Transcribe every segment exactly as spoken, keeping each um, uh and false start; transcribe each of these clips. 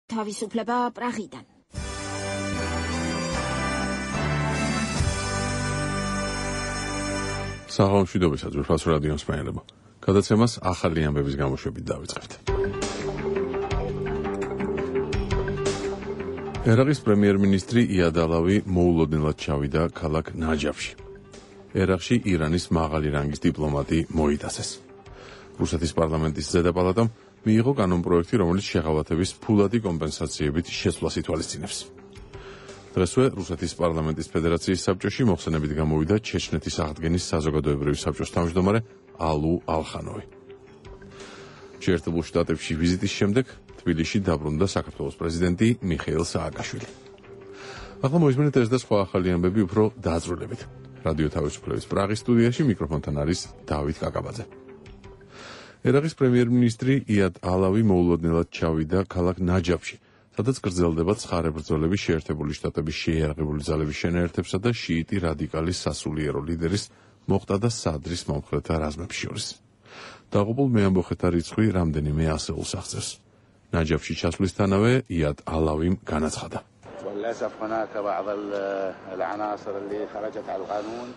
თავისუფლება პრაღიდან. საღამომშვიდობისა ძვირფას რადიოს მსმენელებო. გადაცემას ახალი ამბების გამოშვებით დავიწყებთ. ერაყის პრემიერ-მინისტრი იად ალავი მოულოდნელად ჩავიდა ქალაქ ნაჯაფში. ერაყში ირანის მაღალი რანგის დიპლომატი მოიტაცეს. რუსეთის პარლამენტის ზედაპალატამ მიიღო კანონპროექტი, რომელიც შეღავათების ფულადი კომპენსაციებით შეცვლას ითვალისწინებს. დღესვე რუსეთის პარლამენტის ფედერაციის საბჭოში მოხსენებით გამოვიდა ჩეჩნეთის აღდგენის საზოგადოებრივი საბჭოს თავმჯდომარე ალუ ალხანოვი. შეერთებულ შტატებში ვიზიტის შემდეგ თბილისში დაბრუნდა საქართველოს პრეზიდენტი მიხეილ სააკაშვილი. ახლა მოისმინეთ ეს და სხვა ახალი ამბები უფრო დაწვრილებით. რადიო თავისუფლების პრაღის სტუდიაში მიკროფონთან არის დავით კაკაბაძე. ერაყის პრემიერ-მინისტრი იად ალავი მოულოდნელად ჩავიდა ქალაქ ნაჯაფში, სადაც გრძელდება ცხარე ბრძოლები შეერთებული შტატების შეიარაღებული ძალების შენაერთებსა და შიიტი რადიკალის სასულიერო ლიდერის მოყტადა სადრის მომხრეთა რაზმებს შორის. დაღუპულ მეამბოხეთა რიცხვი რამდენიმე ასეულს აღწევს. ნაჯაფში ჩასვლისთანავე იად ალავიმ განაცხადა.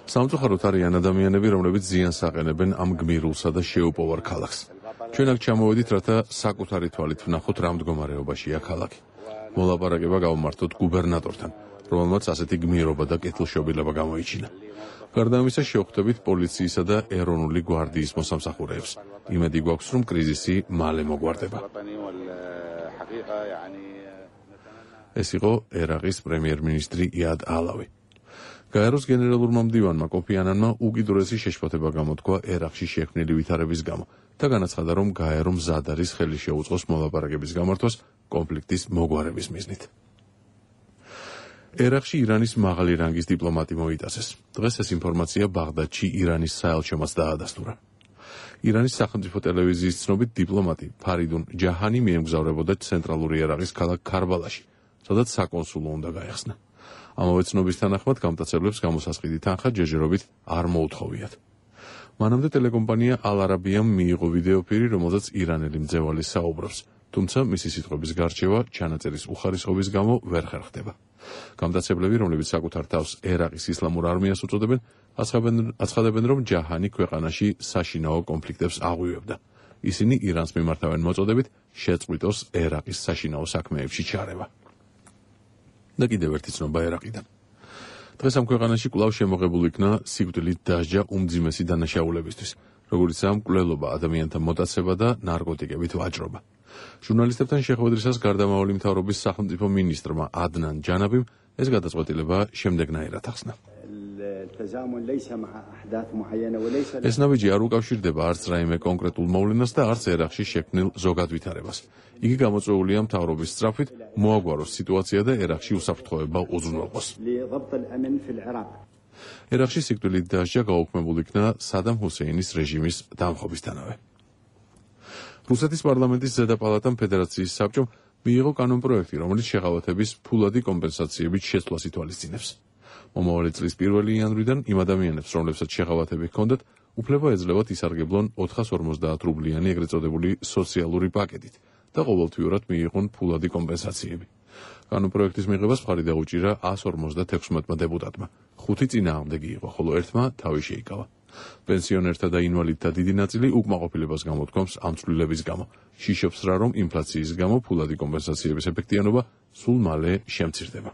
სამწუხაროდ არიან ადამიანები, რომლებიც ზიანს აყენებენ ამ გმირულსა და შეუპოვარ ქალაქს. ჩვენ აქ ჩამოვედით, რათა საკუთარი თვალით ვნახოთ, რა მდგომარეობაშია ქალაქი. მოლაპარაკება გავმართოთ გუბერნატორთან, რომელმაც ასეთი გმირობა და კეთილშობილება გამოიჩინა. გარდა ამისა, შევხვდებით პოლიციისა და ეროვნული გვარდიის მოსამსახურეებს. იმედი გვაქვს, რომ კრიზისი მალე მოგვარდება. ეს იყო ერაყის პრემიერ-მინისტრი იად ალავი. გაეროს გენერალურმა მდივანმა კოფი ანანმა უკიდურესი შეშფოთება გამოთქვა ერაყში შექმნილი ვითარების გამო და განაცხადა, რომ გაერო მზად არის ხელი შეუწყოს მოლაპარაკების გამართვას კონფლიქტის მოგვარების მიზნით. ერაყში ირანის მაღალი რანგის დიპლომატი მოიტაცეს. დღეს ეს ინფორმაცია ბაღდადში ირანის საელჩომაც დაადასტურა. ირანის სახელმწიფო ტელევიზიის ცნობით დიპლომატი ფარიდუნ ჯაჰანი მიემგზავრებოდა ცენტრალური ერაყის ქალაქ ქარბალაში, სადაც საკონსულო უნდა გაეხსნა. ამავე ცნობის თანახმად გამტაცებლებს გამოსასყიდი თანხა ჯერჯერობით არ მოუთხოვიათ. მანამდე ტელეკომპანია ალ-არაბიამ მიიღო ვიდეოფირი, რომელზეც ირანელი მძევალი საუბრობს, თუმცა მისი სიტყვების გარჩევა ჩანაწერის უხარისხობის გამო ვერ ხერხდება. გამტაცებლები, რომლებიც საკუთარ თავს ერაყის ისლამურ არმიას უწოდებენ, აცხადებენ, რომ ჯაჰანი ქვეყანაში საშინაო კონფლიქტებს აღვივებდა. ისინი ირანს მიმართავენ მოწოდებით შეწყვიტოს ერაყის საშინაო საქმეებში ჩარევა. და კიდევ ერთი ცნობა ერაყიდან. დღეს ამ ქვეყანაში კვლავ შემოღებულ იქნა სიკვდილით დასჯა უმძიმესი დანაშაულებისთვის, როგორიცაა მკვლელობა, ადამიანთა მოტაცება და ნარკოტიკებით ვაჭრობა. ჟურნალისტებთან შეხვედრისას გარდამავალი მთავრობის სახელმწიფო მინისტრმა ადნან ჯანაბიმ ეს გადაწყვეტილება შემდეგნაირად ახსნა. ეს ნაბიჯი არ უკავშირდება არც რაიმე კონკრეტულ მოვლენას და არც ერაყში შექმნილ ზოგად ვითარებას. იგი გამოწვეულია მთავრობის სწრაფით მოაგვაროს სიტუაცია და ერაყში უსაფრთხოება უზრუნველყოს. ერაყში სიკვდილით დასჯა გაუქმებულ იქნა სადამ ჰუსეინის რეჟიმის დამხობისთანავე. რუსეთის პარლამენტის ზედაპალატამ ფედერაციის საბჭომ მიიღო კანონპროექტი, რომელიც შეღავათების ფულადი კომპენსაციებით შეცვლას ითვალისწინებს. მომავალი წლის პირველი იანვრიდან იმ ადამიანებს, რომლებსაც შეღავათები ჰქონდათ, უფლება ეძლევათ ისარგებლონ ოთხას ორმოცდაათ რუბლიანი ეგრეთ წოდებული სოციალური პაკეტით და ყოველთვიურად მიიღონ ფულადი კომპენსაციები. კანონპროექტის მიღებას მხარი დაუჭირა ასს ორმოცდათექვსმეტმა დეპუტატმა. ხუთი წინააღმდეგი იყო, ხოლო ერთმა თავი შეიკავა. პენსიონერთა და ინვალიდთა დიდი ნაწილი უკმაყოფილებას გამოთქვამს ამ ცვლილების გამო. შიშობს რა, რომ ინფლაციის გამო ფულადი კომპენსაციების ეფექტიანობა სულ მალე შემცირდება.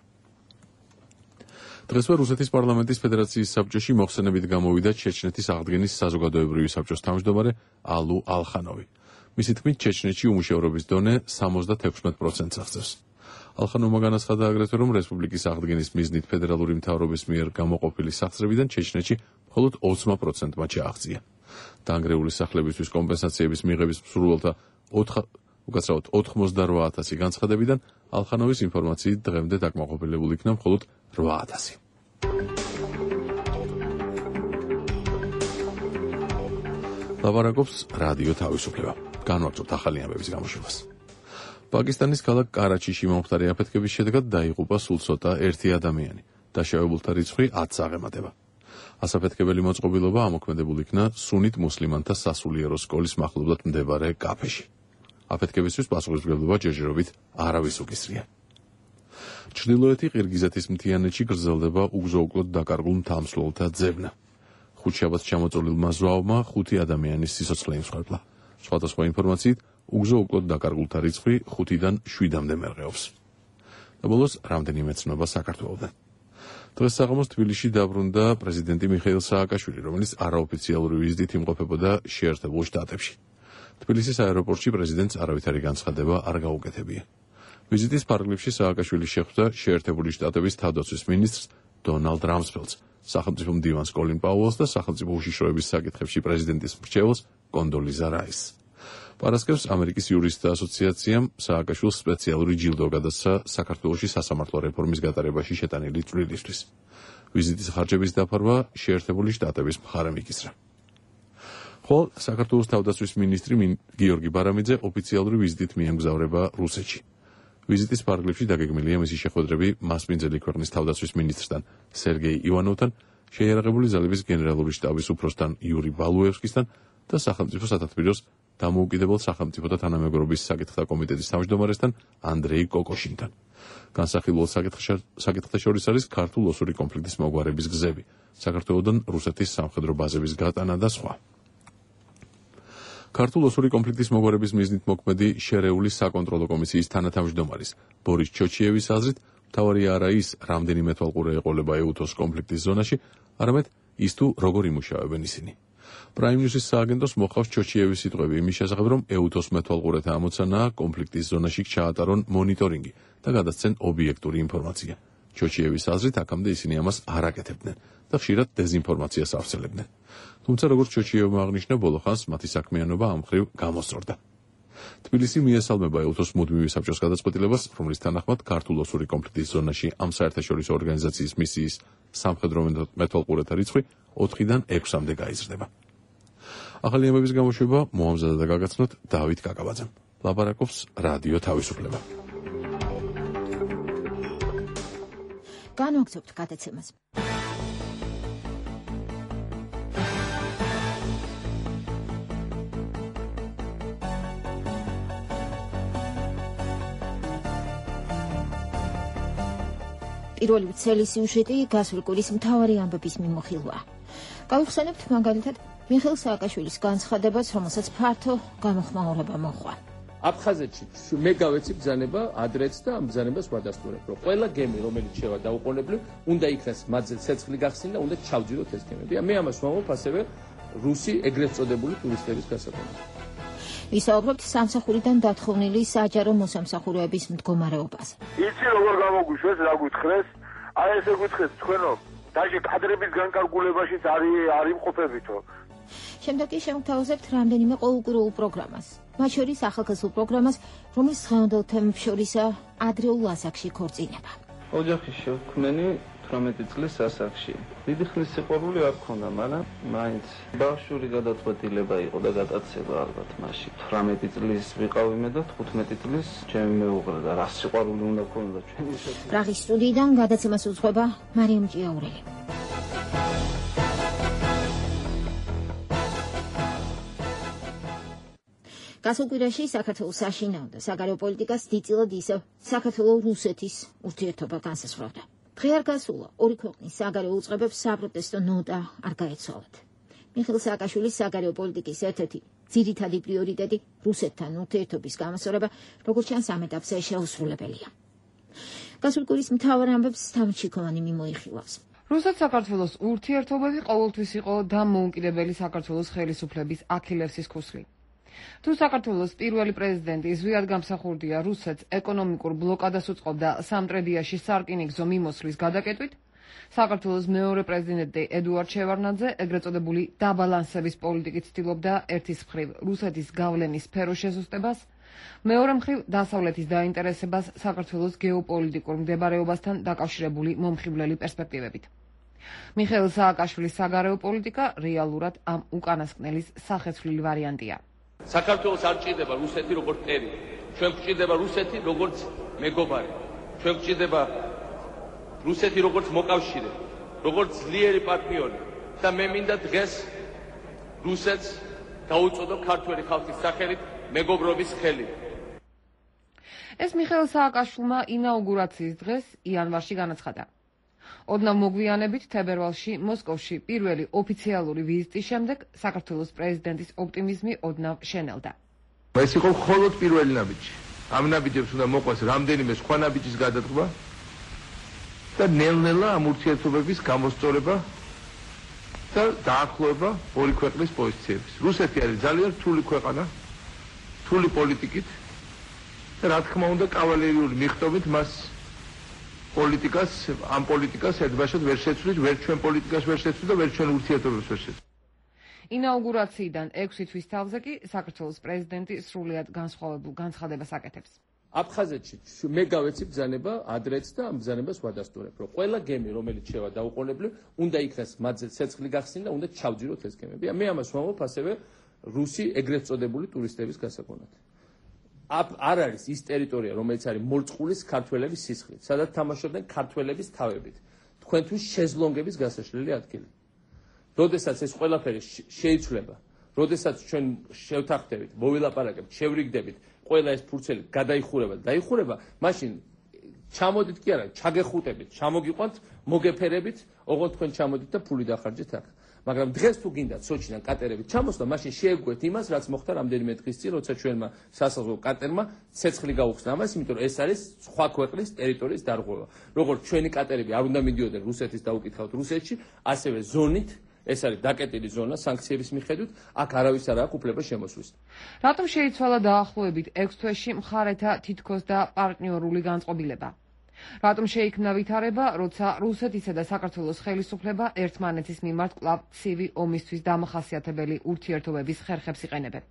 დღესვე რუსეთის პარლამენტის ფედერაციის საბჭოში მოხსენებით გამოვიდა ჩეჩნეთის აღდგენის საზოგადოებრივი საბჭოს თავმჯდომარე ალუ ალხანოვი. მისი თქმით, ჩეჩნეთში უმუშევრობის დონე სამოცდათექვსმეტ პროცენტს აღწევს. ალხანოვმა განაცხადა აგრეთვე, რომ რესპუბლიკის აღდგენის მიზნით ფედერალური მთავრობის მიერ გამოყოფილი სახსრებიდან ჩეჩნეთში მხოლოდ ოცმა პროცენტმა ჩააღწია. დაანგრეული სახლებისთვის კომპენსაციების მიღების მსურველთა უკაცრავად ოთხმოცდაოთხ ათასი განცხადებიდან ალხანოვის ინფორმაციით დღემდე დაკმაყოფილებული იქნა მხოლოდ რვა ათასი. ლაპარაკობს რადიო თავისუფლება. განვაგრძობთ ახალი ამბების გამოშვებას. პაკისტანის ქალაქ კარაჩიში მომხდარი აფეთქების შედეგად დაიღუპა სულ ცოტა ერთი ადამიანი. დაშავებულთა რიცხვი ათს აღემატება. ასაფეთქებელი მოწყობილობა ამოქმედებულ იქნა სუნით მუსლიმანთა სასულიერო სკოლის მახლობლად მდებარე კაფეში. აფეთქებისთვის პასუხისმგებლობა ჯერჯერობით არავის უკისრია. ჩრდილოეთი ყირგიზეთის მთიანეთში გრძელდება უგზო-უკლოდ დაკარგულ მთამსვლელთა ძებნა. ხუთშაბათს ჩამოწოლილმა ზვავმა ხუთი ადამიანის სიცოცხლე იმსხვერპლა. სხვადასხვა ინფორმაციით, უგზო-უკლოდ დაკარგულთა რიცხვი ხუთიდან შვიდამდე მერყეობს. და ბოლოს რამდენიმე ცნობა საქართველოდან. დღეს საღამოს თბილისში დაბრუნდა პრეზიდენტი მიხეილ სააკაშვილი, რომელიც არაოფიციალური ვიზიტით იმყოფებოდა შეერთებულ შტატებში. თბილისის აეროპორტში პრეზიდენტს არავითარი განცხადება არ გაუკეთებია. ვიზიტის ფარგლებში სააკაშვილი შეხვდა შეერთებული შტატების თავდაცვის მინისტრს დონალდ რამსფელდს, სახელმწიფო მდივანს კოლინ პაუელს და სახელმწიფო უშიშროების საკითხებში პრეზიდენტის მრჩეველს კონდოლიზა რაისს. პარასკევს ამერიკის იურისტთა ასოციაციამ სააკაშვილს სპეციალური ჯილდო გადასცა საქართველოში სასამართლო რეფორმის გატარებაში შეტანილი წვლილისთვის. ვიზიტის ხარჯების დაფარვა შეერთებული შტატების მხარემ იკისრა. ხოლო საქართველოს თავდაცვის მინისტრი გიორგი ბარამიძე ოფიციალური ვიზიტით მიემგზავრება რუსეთში. ვიზიტის ფარგლებში დაგეგმილია მისი შეხვედრები მასპინძელი ქვეყნის თავდაცვის მინისტრთან სერგეი ივანოვთან, შეიარაღებული ძალების გენერალური შტაბის უფროსთან იური ბალუევსკისთან და სახელმწიფო სათათბიროს დამოუკიდებელ სახელმწიფოთა თანამეგობრობის საკითხთა კომიტეტის თავმჯდომარესთან ანდრეი კოკოშინთან. განსახილველ საკითხთა შორის არის ქართულ-ოსური კონფლიქტის მოგვარების გზები, საქართველოდან რუსეთის სამხედრო ბაზების გატანა და სხვა. ქართულ-ოსური კონფლიქტის მოგვარების მიზნით მოქმედი შერეული საკონტროლო კომისიის თანათავმჯდომარის ბორის ჩოჩიევის აზრით, მთავარია არა ის, რამდენიმე თვალყურე ეყოლება ეუთოს კონფლიქტის ზონაში, არამედ ის თუ როგორ იმუშავებენ ისინი. პრაიმ ნიუსის სააგენტოს მოყავს ჩოჩიევის სიტყვები იმის შესახებ, რომ ეუთოს მეთვალყურეთა ამოცანაა კონფლიქტის ზონაში ჩაატარონ მონიტორინგი და გადასცენ ობიექტური ინფორმაცია. ჩოჩიევის აზრით, აქამდე ისინი ამას არ აკეთებდნენ და ხშირად დეზინფორმაციას ავრცელებდნენ. თუმცა, როგორც ჩოჩიევმა აღნიშნა, ბოლო ხანს მათი საქმიანობა ამ მხრივ გამოსწორდა. თბილისი მიესალმება ეუთოს მუდმივი საბჭოს გადაწყვეტილებას, რომლის თანახმად ქართულ-ოსური კონფლიქტის ზონაში ამ საერთაშორისო ორგანიზაციის მისიის სამხედრო მეთვალყურეთა რიცხვი ოთხიდან ექვსამდე გაიზრდება. ახალი ამბების გამოშვება მოამზადა და გაგაცნოთ დავით კაკაბაძემ. ლაპარაკობს რადიო თავისუფლება. განვაგრძობთ გადაცემას. პირველი ცელი სიუჟეტი გასული კვირის მთავარი ამბების მიმოხილვაა. გავიხსენებთ მაგალითად მიხეილ სააკაშვილის განცხადებას, რომელსაც ფართო გამოხმაურება მოჰყვა. აფხაზეთში მე გავეცი ბრძანება ადრეც და ამ ბრძანებას ვადასტურებ, რომ ყველა გემი, რომელიც შევა დაუყოვნებლივ, უნდა იქნას მათზე ცეცხლი გახსნილი და უნდა ჩავჯიროთ ეს გემები. მე ამას ვამბობ ასევე რუსი ეგრეთ წოდებული ტურისტების გასაგონად. ვისაუბრებთ სამსახურიდან დათხოვნილი საჯარო მოსამსახურეების მდგომარეობაზე. იცი როგორ გამოგუშვეს, რა გითხრეს? აი ესე გითხრეს თქვენო, დაჟე კადრების განკარგულებაშიც არის არ იმყოფებითო. შემდეგ კი შემოგთავაზებთ რამდენიმე ყოველკვირეულ პროგრამას. მათ შორის ახალგაზრდულ პროგრამას, რომლის დღევანდელ თემებს შორისაა ადრეულ ასაკში ქორწინება. ოჯახის შექმნენი თვრამეტი წლის ასაკში. დიდი ხნის სიყვარული არ ქონდა, მაგრამ მაინც ბავშვური გადაწყვეტილება იყო და გადაცება ალბათ მაშინ. თვრამეტი წლის ვიყავი მე და თხუთმეტი წლის ჩემი მეუღლე და რა სიყვარული უნდა ქონოდა ჩვენი შესაძლებელი. პრაღის სტუდიიდან გადაცემას უძღვება მარიამ ჭიაურელი. გასულ კვირაში საქართველოს საშინაო და საგარეო პოლიტიკას დიდწილად ისევ საქართველო-რუსეთის ურთიერთობა განსაზღვრავდა. დღე არ გასულა ორი ქვეყნის საგარეო უწყებებს საპროტესტო ნოტა არ გაეცვალათ. მიხეილ სააკაშვილის საგარეო პოლიტიკის ერთ-ერთი ძირითადი პრიორიტეტი რუსეთთან ურთიერთობის გამოსწორება, როგორც ჩანს ამ ეტაპზე შეუსრულებელია. გასულ კვირის მთავარ ამბებს თავმჩიქოვანი მიმოიხილავს. რუსეთ-საქართველოს ურთიერთობები ყოველთვის იყო დამოუკიდებელი საქართველოს ხელისუფლების აქილევსის ქუსლი. თუ საქართველოს პირველი პრეზიდენტი ზვიად გამსახურდია რუსეთს ეკონომიკურ ბლოკადას უწყობდა სამტრედიაში სარკინიგზო მიმოსვლის გადაკეტვით, საქართველოს მეორე პრეზიდენტი ედუარდ შევარდნაძე ეგრეთ წოდებული დაბალანსების პოლიტიკით ცდილობდა ერთის მხრივ რუსეთის გავლენის სფეროს შესუსტებას, მეორე მხრივ დასავლეთის დაინტერესებას საქართველოს გეოპოლიტიკურ მდებარეობასთან დაკავშირებული მომხიბვლელი პერსპექტივებით. მიხეილ სააკაშვილის საგარეო პოლიტიკა რეალურად ამ უკანასკნელის სახეცვლილი ვარიანტია. საქართველოს არ ჭირდება რუსეთი როგორც ტერი. ჩვენ გვჭირდება რუსეთი როგორც მეგობარი. ჩვენ გვჭირდება რუსეთი როგორც მოკავშირე, როგორც ძლიერი პარტნიორი და მე მინდა დღეს რუსეთს დაუწოდო ქართველი ხალხის სახელით მეგობრობის ხელი. ეს მიხეილ სააკაშვილმა ინაუგურაციის დღეს იანვარში განაცხადა. ოდნავ მოგვიანებით თებერვალში მოსკოვში პირველი ოფიციალური ვიზიტის შემდეგ საქართველოს პრეზიდენტის ოპტიმიზმი ოდნავ შენელდა. ეს იყო მხოლოდ პირველი ნაბიჯი. ამ ნაბიჯებს უნდა მოყვეს რამდენიმე სხვა ნაბიჯის გადადგმა და ნელ-ნელა ამ ურთიერთობების გამოსწორება და დაახლოება ორი ქვეყნის პოზიციების. რუსეთი არის ძალიან რთული ქვეყანა, რთული პოლიტიკით და რა თქმა უნდა კავალერიული მიღწევით მას პოლიტიკას, ამ პოლიტიკას ერთბაშად ვერ შეცვლით, ვერ ჩვენ პოლიტიკას ვერ შეცვლით და ვერ ჩვენ ურთიერთობებს ვერ შეცვლით. ინაუგურაციიდან ექვსი თვის თავზე კი საქართველოს პრეზიდენტი სრულიად განსხვავებულ განცხადებას აკეთებს. აფხაზეთში მე გავეცი ბრძანება ადრეც და ამ ბრძანებას ვადასტურებ, რომ ყველა გემი, რომელიც შევა დაუყოვნებლივ, უნდა იქნას მათზე ცეცხლი გახსნი და უნდა ჩავჯიროთ ეს გემები. მე ამას ვამბობ ასევე რუსი ეგრეთ წოდებული ტურისტების გასაგონად. არ არის ის ტერიტორია, რომელიც არის მორწყულის ქართველების სისხლით, სადაც თამაშობდნენ ქართველების თავებით. თქვენთვის შეზლონგების გასაშლელი ადგილი. როდესაც ეს ყველაფერი შეიცვლება, როდესაც ჩვენ შევთანხმდებით, მოვილაპარაკებთ, შევრიგდებით, ყველა ეს ფურცელი გადაიხურება და დაიხურება, მაშინ ჩამოდით კი არა, ჩაგეხუტებით, ჩამოგიყვანთ, მოგეფერებით, ოღონდ თქვენ ჩამოდით და ფული დახარჯეთ აქ. მაგრამ დღეს თუ გინდათ სოჩიდან კატერებით ჩამოსვლა, მაშინ შეეგუეთ იმას, რაც მოხდა რამდენიმე დღის წინ, როცა ჩვენმა სასაზღვრო კატერმა ცეცხლი გაუხსნა ამას, იმიტომ რომ ეს არის სხვა ქვეყნის ტერიტორიის დარღვევა. როგორც ჩვენი კატერები არ უნდა მიდიოდნენ რუსეთის და უკითხავთ რუსეთში, ასევე ზონით ეს არის დაკეტილი ზონა სანქციების მიხედვით, აქ არავის არ აქვს უფლება შემოსვლის. რატომ შეიცვალა დაახლოებით ექვს თვეში მხარეთა თითქოს და პარტნიორული განწყობილება? რატომ შეიქმნა ვითარება, როცა რუსეთისა და საქართველოს ხელისუფლება ერთმანეთის მიმართ კვლავ ცივი ომისთვის დამახასიათებელი ურთიერთობების ხერხებს იყენებენ?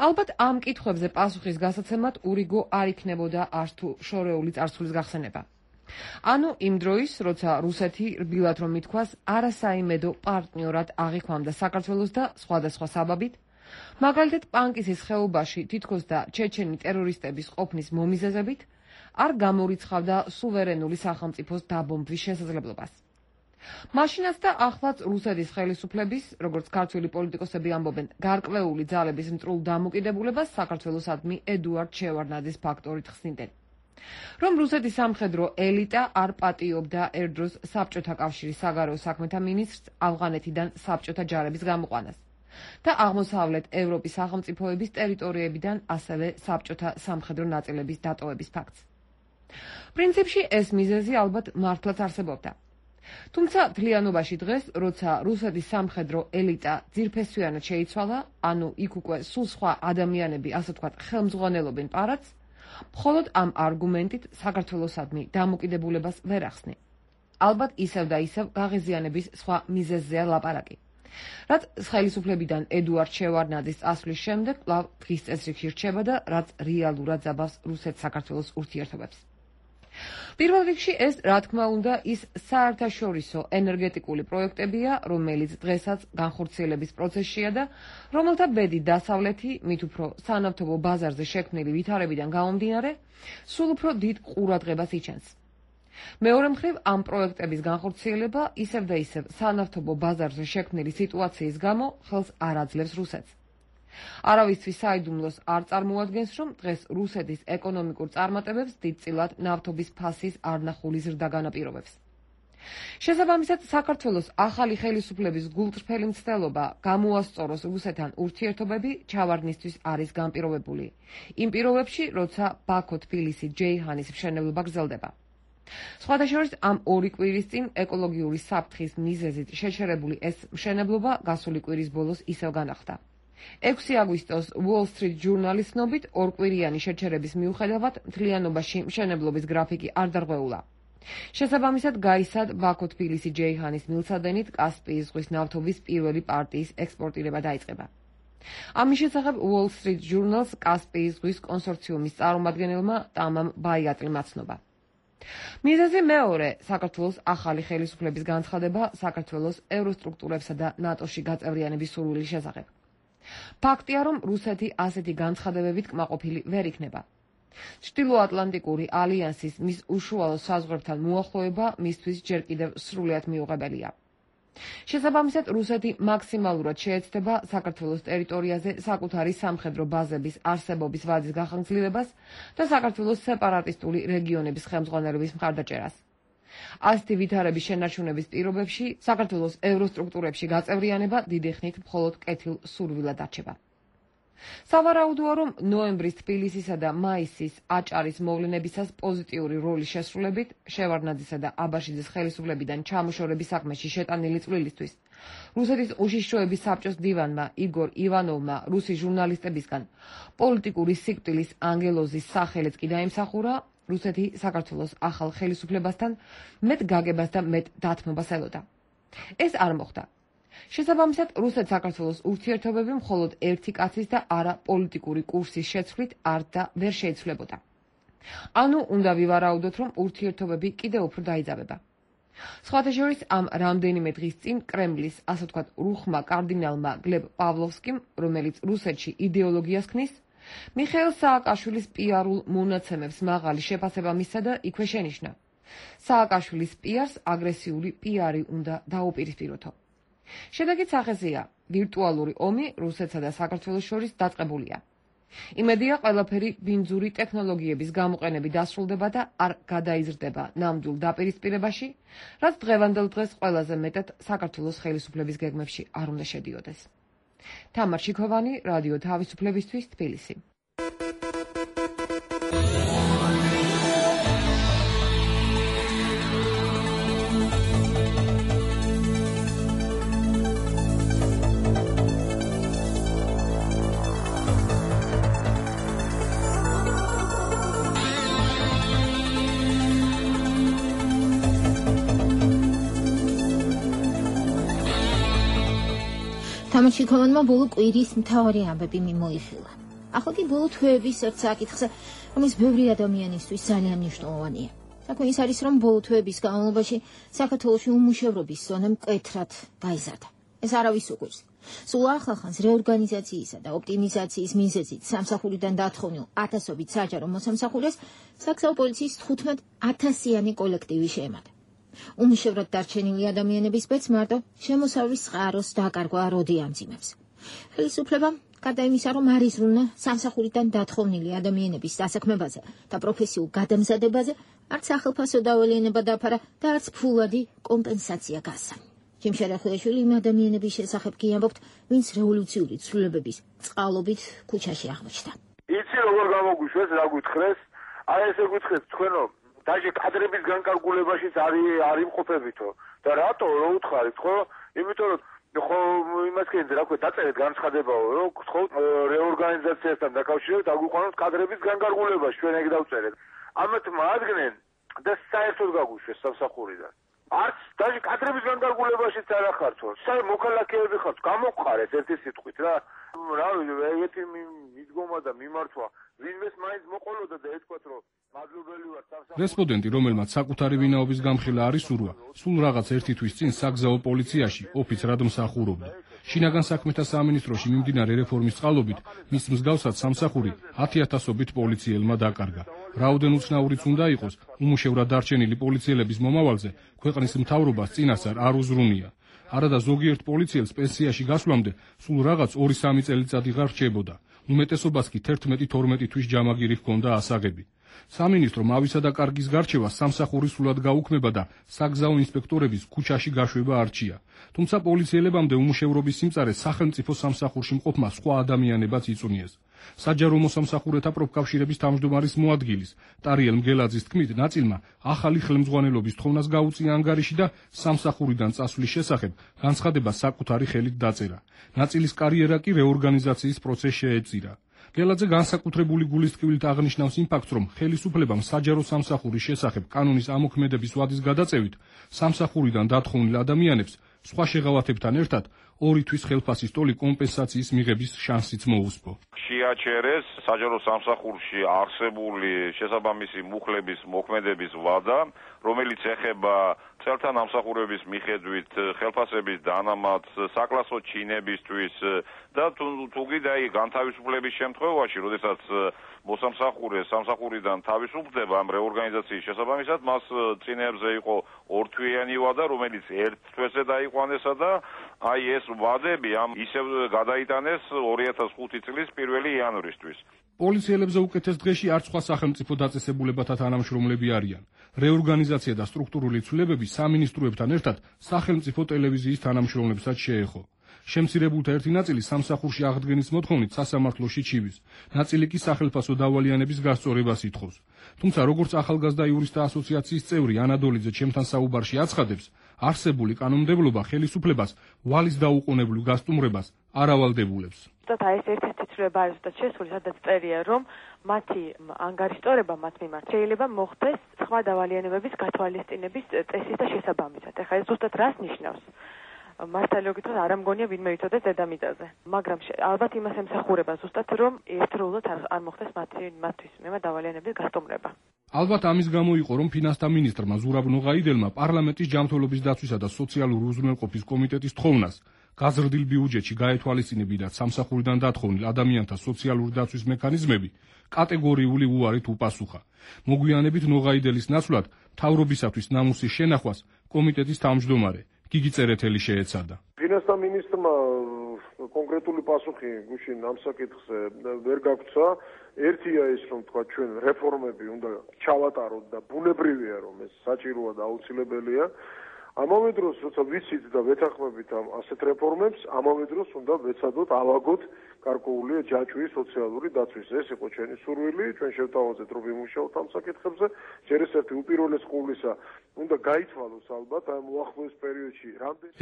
ალბათ ამ კითხვებზე პასუხის გასაცემად ურიგო არ იქნებოდა არც თუ შორეული წარსულის გახსენება. ანუ იმ დროის, როცა რუსეთი რბილად რომ ითქვას, არასაიმედო პარტნიორად აღიქვამდა საქართველოს და სხვადასხვა საბაბით, მაგალითად პანკისის ხეობაში თითქოს და ჩეჩენი ტერორისტების ყოფნის მომიზეზებით, არ გამორიცხავდა სუვერენული სახელმწიფოს დაბომბვის შესაძლებლობას. მაშინაც და ახლაც რუსეთის ხელისუფლების, როგორც ქართველი პოლიტიკოსები ამბობენ, გარკვეული ძალების მტრულ დამოკიდებულებას საქართველოსადმი ედუარდ შევარდნაძის ფაქტორით ხსნიდნენ. რომ რუსეთის სამხედრო ელიტა არ პატიობდა ერთდროს საბჭოთა კავშირის საგარეო საქმეთა მინისტრს ავღანეთიდან საბჭოთა ჯარების გამოყვანას და აღმოსავლეთ ევროპის სახელმწიფოების ტერიტორიებიდან ასევე საბჭოთა სამხედრო ნაწილების დატოვების ფაქტს. პრინციპში ეს მიზეზი ალბათ მართლაც არსებობდა. თუმცა მთლიანობაში დღეს, როცა რუსეთის სამხედრო ელიტა ძირფესვიანად შეიცვალა, ანუ იქ უკვე სულ სხვა ადამიანები, ასე ვთქვათ, ხელმძღვანელობენ პარადს, მხოლოდ ამ არგუმენტით საქართველოსადმი დამოკიდებულებას ვერ ახსნე. ალბათ ისევ და ისევ გაღიზიანების სხვა მიზეზზეა ლაპარაკი. რაც ხელისუფლებიდან ედუარდ შევარდნაძის წასვლის შემდეგ კვლავ დღის წესრიგში რჩება და რაც რეალურად ზაბავს რუსეთ-საქართველოს ურთიერთობებს. პირველ რიგში ეს, რა თქმა უნდა, ის საერთაშორისო ენერგეტიკული პროექტებია, რომელიც დღესაც განხორციელების პროცესშია და რომელთა ბედი დასავლეთი, მით უფრო სანავთობო ბაზარზე შექმნილი ვითარებიდან გამომდინარე, სულ უფრო დიდ ყურადღებას იჩენს. მეორე მხრივ, ამ პროექტების განხორციელება ისევ და ისევ სანავთობო ბაზარზე შექმნილი სიტუაციის გამო ხელს არ აძლევს რუსეთს. არავისთვის საიდუმლოს არ წარმოადგენს, რომ დღეს რუსეთის ეკონომიკურ წარმატებებს დიდწილად ნავთობის ფასის არნახული ზრდა განაპირობებს. შესაბამისად, საქართველოს ახალი ხელისუფლების გულწრფელი მცდელობა გამოასწოროს რუსეთთან ურთიერთობები ჩავარდნისთვის არის განპირობებული. იმ პირობებში, როცა ბაქო-თბილისი ჯეიჰანის მშენებლობა გრძელდება. სხვადასხვა ამ ორი კვირის წინ ეკოლოგიური საფრთხის მიზეზით შეჩერებული ეს მშენებლობა გასული კვირის ბოლოს ისევ განახლდა. ექვსი აგვისტოს Wall Street Journal-ის ცნობით, ორკვირიანი შეჩერების მიუხედავად მთლიანობაში მშენებლობის გრაფიკი არ დარღვეულა. შესაბამისად, გაისად ბაქო-თბილისი ჯეიჰანის მილსადენით კასპიის ზღვის ნავთობის პირველი პარტიის ექსპორტირება დაიწყება. ამის შესახებ Wall Street Journal-ს კასპიის ზღვის კონსორციუმის წარმომადგენელმა ტამამ ბაიატლიმ აცნობა. მიზეზი მეორე, საქართველოს ახალი ხელისუფლების განცხადება საქართველოს ევროსტრუქტურებსა და ნატოში გაწევრიანების სურვილის შესახებ. ფაქტია, რომ რუსეთი ასეთი განცხადებებით კმაყოფილი ვერ იქნება. ჩრდილოატლანტიკური ალიანსის მის უშუალო საზღვრებთან მოახლოება მისთვის ჯერ კიდევ სრულიად მიუღებელია. შესაბამისად, რუსეთი მაქსიმალურად შეეცდება საქართველოს ტერიტორიაზე საკუთარი სამხედრო ბაზების არსებობის ვადის გახანგრძლივებას და საქართველოს სეპარატისტული რეგიონების ხელმძღვანელობის მხარდაჭერას. ასეთი ვითარების შენარჩუნების პირობებში საქართველოს ევროსტრუქტურებში გაწევრიანება დიდი ხნით მხოლოდ კეთილ სურვილად არჩება. სავარაუდოა, რომ ნოემბრის თბილისისა და მაისის აჭარის მოვლენებისას პოზიტიური როლის შესრულებით შევარდნაძისა და აბაშიძის ხელისუფლებიდან ჩამოშორების საქმეში შეტანილი წვლილისთვის რუსეთის უშიშროების საბჭოს დივანმა იგორ ივანოვმა რუსი ჟურნალისტებისგან პოლიტიკური სიკვდილის ანგელოზის სახელიც კი დაიმსახურა, რუსეთი საქართველოს ახალ ხელისუფლებასთან მეტ გაგებას და მეტ დათმობას ელოდა. ეს არ მოხდა. შესაბამისად, რუსეთ-საქართველოს ურთიერთობები მხოლოდ ერთი კაცის და არა პოლიტიკური კურსის შეცვლით არ და ვერ შეიცვლებოდა. ანუ უნდა ვივარაუდოთ, რომ ურთიერთობები კიდევ უფრო დაიძაბება. სხვათა შორის, ამ რამდენიმე დღის წინ კრემლის, ასე ვთქვათ, რუხმა კარდინალმა გლებ პავლოვსკიმ, რომელიც რუსეთში იდეოლოგიას ქმნის, მიხეილ სააკაშვილის პიარულ მონაცემებს მაღალი შეფასება მისცა და იქვე შენიშნა. სააკაშვილის პიარს აგრესიული პიარი უნდა დაუპირისპიროთო. შედეგიც ახესია, ვირტუალური ომი რუსეთსა და საქართველოს შორის დაწყებულია. იმედია, ყველაფერი ბინძური ტექნოლოგიების გამოყენებით დასრულდება და არ გადაიზრდება ნამდვილ დაპირისპირებაში, რაც დღევანდელ დღეს ყველაზე მეტად საქართველოს ხელისუფლების გეგმებში არ უნდა შედიოდეს. თამარ შიქოვანი, რადიო თავისუფლებისთვის, თბილისი. თამარ შიქოვანმა ბოლო კვირის მთავარი ამბები მიმოიხილა. ახლა კი ბოლო თვეების ერთ საკითხზე, რომელიც ბევრი ადამიანისთვის ძალიან მნიშვნელოვანია. საქმე ის არის, რომ ბოლო თვეების განმავლობაში საქართველოში უმუშევრობის ზონა მკვეთრად გაიზარდა. ეს არავის უყვირს. სულ ახალხანს რეორგანიზაციისა და ოპტიმიზაციის მიზეზით სამსახურიდან დათხოვნილ ათასობით საჯარო მოსამსახურეს საგზაო პოლიციის თხუთმეტ ათასიანი კოლექტივი შეემატა. უმუშევრად დარჩენილი ადამიანების ბეც მარტო შემოსავლის წყაროს დაკარგვა როდი ამძიმებს. ხელისუფლებამ გარდა იმისა, რომ არ იზრუნა სამსახურიდან დათხოვნილი ადამიანების დასაქმებაზე და პროფესიულ გადამზადებაზე, არც სახელფასო დავალიანება დაფარა და არც ფულადი კომპენსაცია გასცა. ჯიმ შერეხუაშვილი იმ ადამიანების შესახებ კი ამბობთ, ვინც რევოლუციური ცვლილებების წყალობით ქუჩაში აღმოჩნდა. იცი როგორ გამოგვიშვეს, რა გითხრეს? აი ესე გითხრეს თქვენო დაჟე კადრების განკარგულებაშიც არის არ იმყოფებითო და რატო რო უთხარით ხო? იმიტომ რომ ხო იმას კიდე რა ქვია დაწერეთ განცხადებაო რომ ხო რეორგანიზაციასთან დაკავშირებით აგვიყვანოთ კადრების განკარგულებაში ჩვენ ეგ დავწერეთ. ამათ მოადგნენ და საერთოდ გაგვიშვეს სამსახურიდან. არც დაჟე კადრების განკარგულებაშიც არ ახართო. საერთოდ მოქალაქეები ხართ, გამოყარეთ ერთი სიტყვით რა. რა ვიცი, ეგეთი მიდგომა და მიმართვა ვინმეს მაინც მოყოლოდა და ეთქვათ რომ მადლობელი ვარ სამსახურში. რესპონდენტი, რომელმაც საკუთარი ვინაობის გამხილა არის სურვა, სულ რაღაც ერთი თვის წინ საგზაო პოლიციაში ოფიცრად მსახურობდა. შინაგან საქმეთა სამინისტროში მიმდინარე რეფორმის წყალობით მის მსგავსად სამსახური ათი ათასობით პოლიციელმა დაკარგა. რაოდენ უცნაურიც უნდა იყოს, უმუშევრად დარჩენილი პოლიციელების მომავალზე ქვეყნის მთავრობას წინასწარ არ უზრუნია. არადა ზოგიერთ პოლიციელს პენსიაში გასვლამდე სულ რაღაც ორი სამი წელიწადი ღარ რჩებოდა. უმეტესობას კი თერთმეტი თორმეტი თვის ჯამაგირი ჰქონდა ასაღები. სამინისტრომ ავისა და კარგის გარჩევას სამსახური სულად გაუქმება და საგზაო ინსპექტორების ქუჩაში გაშვება არჩია. თუმცა პოლიციელებამდე უმუშევრობის სიმწარე სახელმწიფო სამსახურში მყოფმა სხვა ადამიანებაც იწუნიეს. საჯარო მოსამსახურეთა პროფკავშირების თავმჯდომარის მოადგილის ტარიელ მგელაძის თქმით, ნაწილმა ახალი ხელმძღვანელობის თხოვნას გაუწია ანგარიში და სამსახურიდან წასვლის შესახებ განცხადება საკუთარი ხელით დაწერა. ნაწილის კარიერა კი რეორგანიზაციის პროცესში შეეწირა. გელაძე განსაკუთრებული გულისწყვილით აღნიშნავს იმ ფაქტს, რომ ხელისუფლებამ საჯარო სამსახურის შესახებ კანონის ამოქმედების ვადის გადაწევით სამსახურიდან დათხოვნილ ადამიანებს სხვა შეღავათებთან ერთად ორი თვის ხელფასის ტოლი კომპენსაციის მიღების შანსიც მოუსპო. შეაჩერეს საჯარო სამსახურში არსებული შესაბამისი მუხლების მოქმედების ვადა, რომელიც ეხება წელთა ნამსახურების მიხედვით ხელფასების დანამატს საკლასო ჩინებისთვის და თუ კიდე განთავისუფლების შემთხვევაში, როდესაც მოსამსახურე სამსახურიდან თავისუფლდება ამ რეორგანიზაციის შესაბამისად, მას წინებზე იყო ორთვიანი ვადა, რომელიც ერთ თვეზე დაიყვანესა და აი ეს ვადები ამ ისევ გადაიტანეს ორი ათას ხუთი წლის პირველი იანვრისთვის. პოლიციელებზე უკეთეს დღეში არც სხვა სახელმწიფო დაწესებულებათა თანამშრომლები არიან. რეორგანიზაცია და სტრუქტურული ცვლილებები სამინისტროებთან ერთად სახელმწიფო ტელევიზიის თანამშრომლებსაც შეეხო. შემცირებულთა ერთი ნაწილი სამსახურში აღდგენის მოთხოვნით სასამართლოში ჩივის. ნაწილი კი სახელფასო დავალიანების გასწორებას ითხოვს. თუმცა როგორც ახალგაზრდა იურისტთა ასოციაციის წევრი ანადოლიძე ჩემთან საუბარში აცხადებს, არსებული კანონმდებლობა ხელისუფლებას ვალის დაუყოვნებლივ გასტუმრებას არ ავალდებულებს. ზუსტად ეს ერთ-ერთი ცვლილება არის ზუსტად შესული, სადაც წერია, რომ მათი ანგარიშტორება მათ მიმართ შეიძლება მოხდეს სხვა დავალიანებების გათვალისწინების წესის და შესაბამისად. ეხლა ეს ზუსტად რას ნიშნავს? მართალი გითხრათ, არ ამგონია ვინმე იცოდეს დედამიწაზე. მაგრამ ალბათ იმას ემსახურება ზუსტად, რომ ერთდროულად არ მოხდეს მათი მათთვის მემა დავალიანების გასტუმრება. ალბათ ამის გამო იყო, რომ ფინანსთა მინისტრმა ზურაბ ნოღაიდელმა პარლამენტის ჯანმრთელობის დაცვისა და სოციალური უზრუნველყოფის კომიტეტის თხოვნას გაზრდილ ბიუჯეტში გაეთვალისწინებინათ სამსახურიდან დათხოვნილ ადამიანთა სოციალური დაცვის მექანიზმები კატეგორიული უარით უპასუხა. მოგვიანებით ნოღაიდელის ნაცვლად მთავრობისათვის ნამუსის შენახვას კომიტეტის თავმჯდომარე გიგი წერეთელი შეეცადა. ფინანსთა მინისტრმა კონკრეტული პასუხი გუშინ ამ საკითხზე ვერ გაგვცა. ერთია ის, რომ თქვა ჩვენ რეფორმები უნდა ჩავატაროთ და ბუნებრივია, რომ ეს საჭიროა და აუცილებელია. ამავე დროს, როცა ვიცით და ვეთანხმებით ამ ასეთ რეფორმებს, ამავე დროს უნდა ვეცადოთ ავაგოთ გარკვეული ჯაჭვის სოციალური დაცვის. ეს იყო ჩვენი სურვილი, ჩვენ შევთავაზეთ, რომ ვიმუშაოთ ამ საკითხებზე. ჯერ ეს ერთი უპირველეს ყოვლისა უნდა გაითვალოს ალბათ ამ უახლოეს პერიოდში.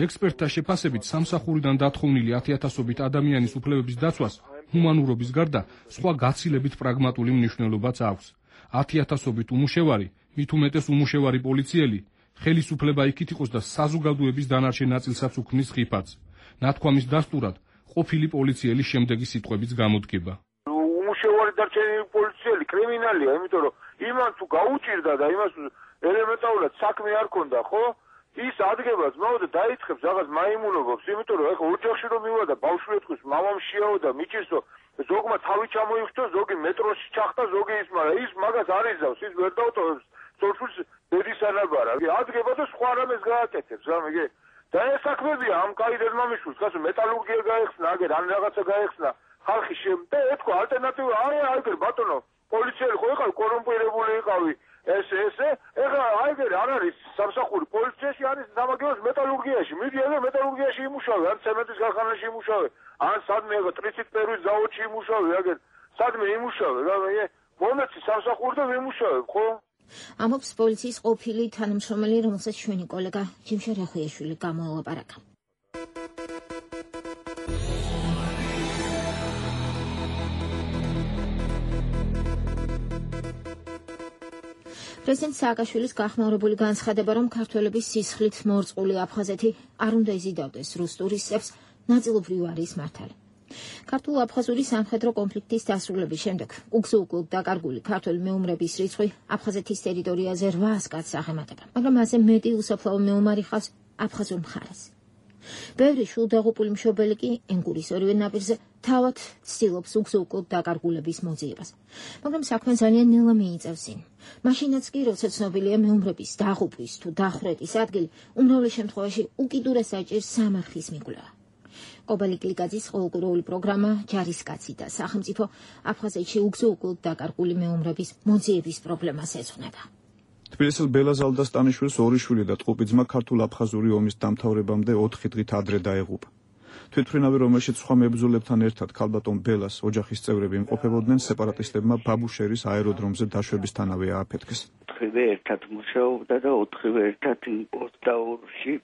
ექსპერტთა შეფასებით, სამსახურიდან დათხოვნილი ათიათასობით ადამიანის უფლებების დაცვას ჰუმანურობის გარდა სხვა გაცილებით პრაგმატული მნიშვნელობაც აქვს. ათიათასობით უმუშევარი, მით უმეტეს უმუშევარი პოლიციელი ხელისუფლება იქით იყოს და საზოგადოების დანარჩენ ნაწილსაც უქმნის ხიფათს. ნათქვამის დასტურად ყოფილი პოლიციელის შემდეგი სიტყვებიც გამოდგება. უმუშევარი დარჩენილი პოლიციელი კრიმინალია, იმიტომ რომ იმან თუ გაუჭირდა და იმას ელემენტარულად საქმე არ ქონდა, ხო? ის ადგებას მოვიდა დაიწყებს რაღაც მაიმუნობებს, იმიტომ რომ ეხლა ოჯახში რომ მივა და ბავშვი ეთქვის მამამშიაო და მიჭირსო, ზოგმა თავი ჩამოიხტო, ზოგი მეტროში ჩახტა, ზოგი ის, მაგრამ ის მაგას არ იზავს, ის ვერ დაუტოვებს სოჭულს დედის ანაბარა. ადგება და სხვა რამეს გააკეთებს, რა მიგე? და ეს საქმებია ამ კაი დედმამიშვილს, გასო მეტალურგია გაეხსნა, აგერ ან რაღაცა გაეხსნა ხალხი შე და ეთქვა ალტერნატივა არა, აიგერ ბატონო, პოლიციელი ხო იყავი, კორუმპირებული იყავი. ეს ესე, ეხლა აიგერ არ არის სამსახური პოლიციაში, არის სამაგიეროს მეტალურგიაში. მიდი ეგ მეტალურგიაში იმუშავე, ან ცემენტის ქარხანაში იმუშავე, ან სადმე ეგ ტრიცით პერვის ზაოდში იმუშავე, აგერ სადმე იმუშავე, რა მე მომეცი სამსახური და ვიმუშავებ, ხო? ამობს პოლიციის ყოფილი თანამშრომელი, რომელსაც ჩვენი კოლეგა ჯიმშა რახუიაშვილი გამოელაპარაკა. პრეზიდენტ სააკაშვილის გახმაურებული განცხადება, რომ ქართველების სისხლით მორწყული აფხაზეთი არ უნდა იზიდავდეს რუს ტურისტებს, ნაწილობრივ არის მართალი. ქართულ-აფხაზური სამხედრო კონფლიქტის დასრულების შემდეგ უგზო-უკვლოდ დაკარგული ქართველი მეომრების რიცხვი აფხაზეთის ტერიტორიაზე რვას კაცს აღემატება, მაგრამ მასზე მეტი უსაფლავო მეომარი ხავს აფხაზურ მხარეს. ბევრი შულდაღუპული მშობელი კი ენგურის ორივე ნაპირზე თავად ცდილობს უგზო-უკვლოდ დაკარგულების მოძიებას, მაგრამ საქმე ძალიან ნელა მიიწევს წინ. მაშინაც კი, როცა ცნობილია მეომრების დაღუპვის თუ დახვრეტის ადგილი, უმრავლეს შემთხვევაში უკიდურეს საჭირს სამარხის მიკვლევა. კობალი კლიკაძის ყოველკვირეული პროგრამა ჯარისკაცი და სახელმწიფო აფხაზეთში უგზო-უკვლოდ დაკარგული მეომრების მოძიების პრობლემას ეძღვნება. თბილისელ ბელა ზალდასტანიშვილის ორი შვილი და ტყუპი ძმა ქართულ-აფხაზური ომის დამთავრებამდე ოთხი დღით ადრე დაეღუპა. თვითმფრინავი, რომელშიც სხვა მებრძოლებთან ერთად ქალბატონ ბელას ოჯახის წევრები იმყოფებოდნენ, სეპარატისტებმა ბაბუშერის აეროდრომზე დაშვებისთანავე ააფეთქეს. ოთხივე ერთად მუშაობდა და ოთხივე ერთად იმპოსტაურში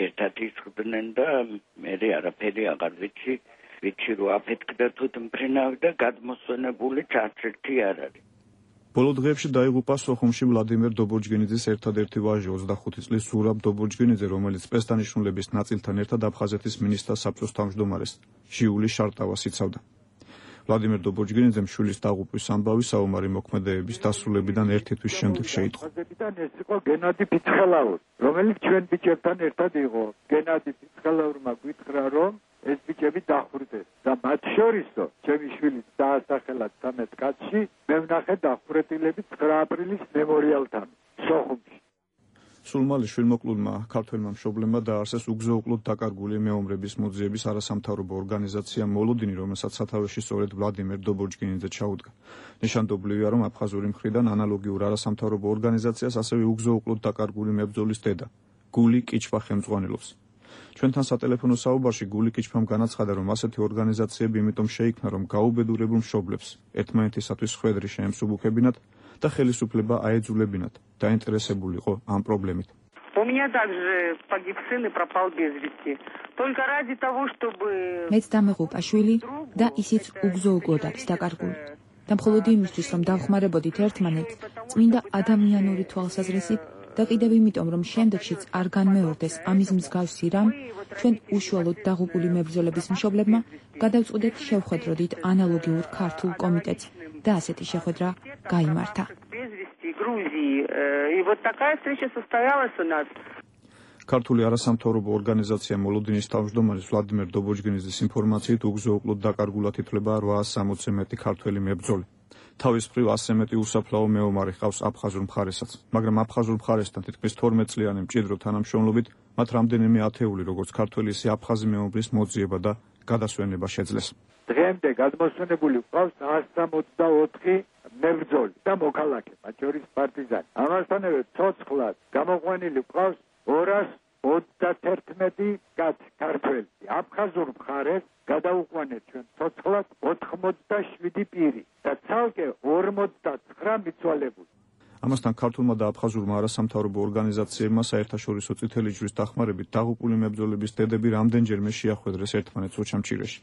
ერთად ისხდნენ და მე არაფერი აღარ ვიცი, ვიცი რომ აფეთქდა თვითმფრინავი და გადმოსვენებული არც ერთი არ არის. ბოლო დღეებში დაიღუპა სოხუმში ვლადიმერ დობორჯგინიძის ერთადერთი ვაჟი ოცდახუთი წლის ზურაბ დობორჯგინიძე, რომელიც სპეცდანიშნულების ნაწილთან ერთად აფხაზეთის მინისტრთა საბჭოს თავმჯდომარეს ჟიული შარტავას იცავდა. ვლადიმერ დობორჯგინიძემ შვილის დაღუპვის ამბავი საომარი მოქმედებების დასრულებიდან ერთი თვის შემდეგ შეიტყო. ეს იყო გენადი ფიცხელაური, რომელიც ჩვენ ბიჭებთან ერთად იყო. გენადი ფიცხელაურმა გითხრა, რომ ეს ბიჭები დახვრიტეს და მათ შორისო ჩემი შვილი დაასახელა ცამეტ კაცში, მე ვნახე დახვრეტილები ცხრა აპრილის მემორიალთან სოხუმში. სულ მალე შვილმოკლულმა ქართველმა მშობლებმა დააარსეს უგზო-უკლოდ დაკარგული მეომრების მოძიების არასამთავრობო ორგანიზაცია მოლოდინი, რომელსაც სათავეში სწორედ ვლადიმერ დობორჯგინიძე ჩაუდგა. ნიშანდობლივია, რომ აფხაზური მხრიდან ანალოგიურ არასამთავრობო ორგანიზაციას ასევე უგზო-უკლოდ დაკარგული მებრძოლის დედა გული კიჩვა ხელმძღვანელობს. ჩვენთან სატელეფონო საუბარში გული კიჩვამ განაცხადა, რომ ასეთი ორგანიზაციები იმიტომ შეიქმნა, რომ გაუბედურებულ მშობლებს ერთმანეთისათვის ხვედრი შეემსუბუქებინათ და ხელისუფლება აეძულებინათ დაინტერესებულიყო ამ პრობლემით. У меня также погиб сын и пропал без вести. Только ради того, чтобы მეც დამეღუპა შვილი და ისიც უგზო-უკლოდ არის დაკარგული. და მხოლოდ იმისთვის, რომ დავხმარებოდით ერთმანეთს, წმინდა ადამიანური თვალსაზრისით და კიდევ იმიტომ, რომ შემდეგშიც არ განმეორდეს ამის მსგავსი რამ, ჩვენ უშუალოდ დაღუპული მებრძოლების მშობლებმა გადავწყვიტეთ შევხვედროდით ანალოგიურ ქართულ კომიტეტს და ასეთი შეხვედრა გაიმართა. ქართული არასამთავრობო ორგანიზაცია მოლოდინის თავმჯდომარის ვლადიმერ დობორჯგინიძის ინფორმაციით უგზო-უკლოდ დაკარგულად ითვლება რვაას სამოცზე მეტი ქართველი მებრძოლი. თავის მხრივ ასზე მეტი უსაფლაო მეომარი ჰყავს აფხაზურ მხარესაც, მაგრამ აფხაზურ მხარესთან თითქმის თორმეტ წლიანი მჭიდრო თანამშრომლობით მათ რამდენიმე ათეული, როგორც ქართველი, ისე აფხაზი მეომრის მოძიება და გადასვენება შეძლეს. დღემდე გადმოსვენებული გვყავს ას სამოცდაოთხი მებრძოლი და მოქალაქე, მათ შორის პარტიზანი. ამასთანავე ცოცხლად გამოყვანილი გვყავს ორას ოცდათერთმეტი კაცი ქართველი. აფხაზურ მხარეს გადაუყვანეთ ჩვენ ცოცხლად ოთხმოცდაშვიდი პირი და ცალკე ორმოცდაცხრა მიცვალებული. ამასთან ქართულმა და აფხაზურმა არასამთავრობო ორგანიზაციებმა საერთაშორისო წითელი ჯვრის დახმარებით დაღუპული მებრძოლების დედები რამდენჯერმე შეახვედრეს ერთმანეთს ოჩამჭირეში.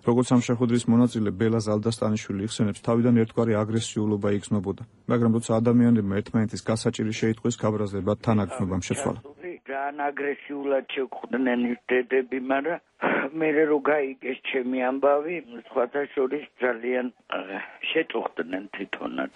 როგორც ამ შეხვედრის მონაწილე ბელა ზალდასტანიშვილი იხსენებს, თავიდან ერთგვარი აგრესიულობა იგრძნობოდა, მაგრამ როცა ადამიანებმა ერთმანეთის გასაჭირი შეიტყვეს, გაბრაზებად თანაგრძნობამ შეცვალა. ძალიან აგრესიულად შეხვდნენ დედები, მაგრამ მე რო გაიგეს ჩემი ამბავი, სხვათა შორის ძალიან შეწუხდნენ თვითონაც.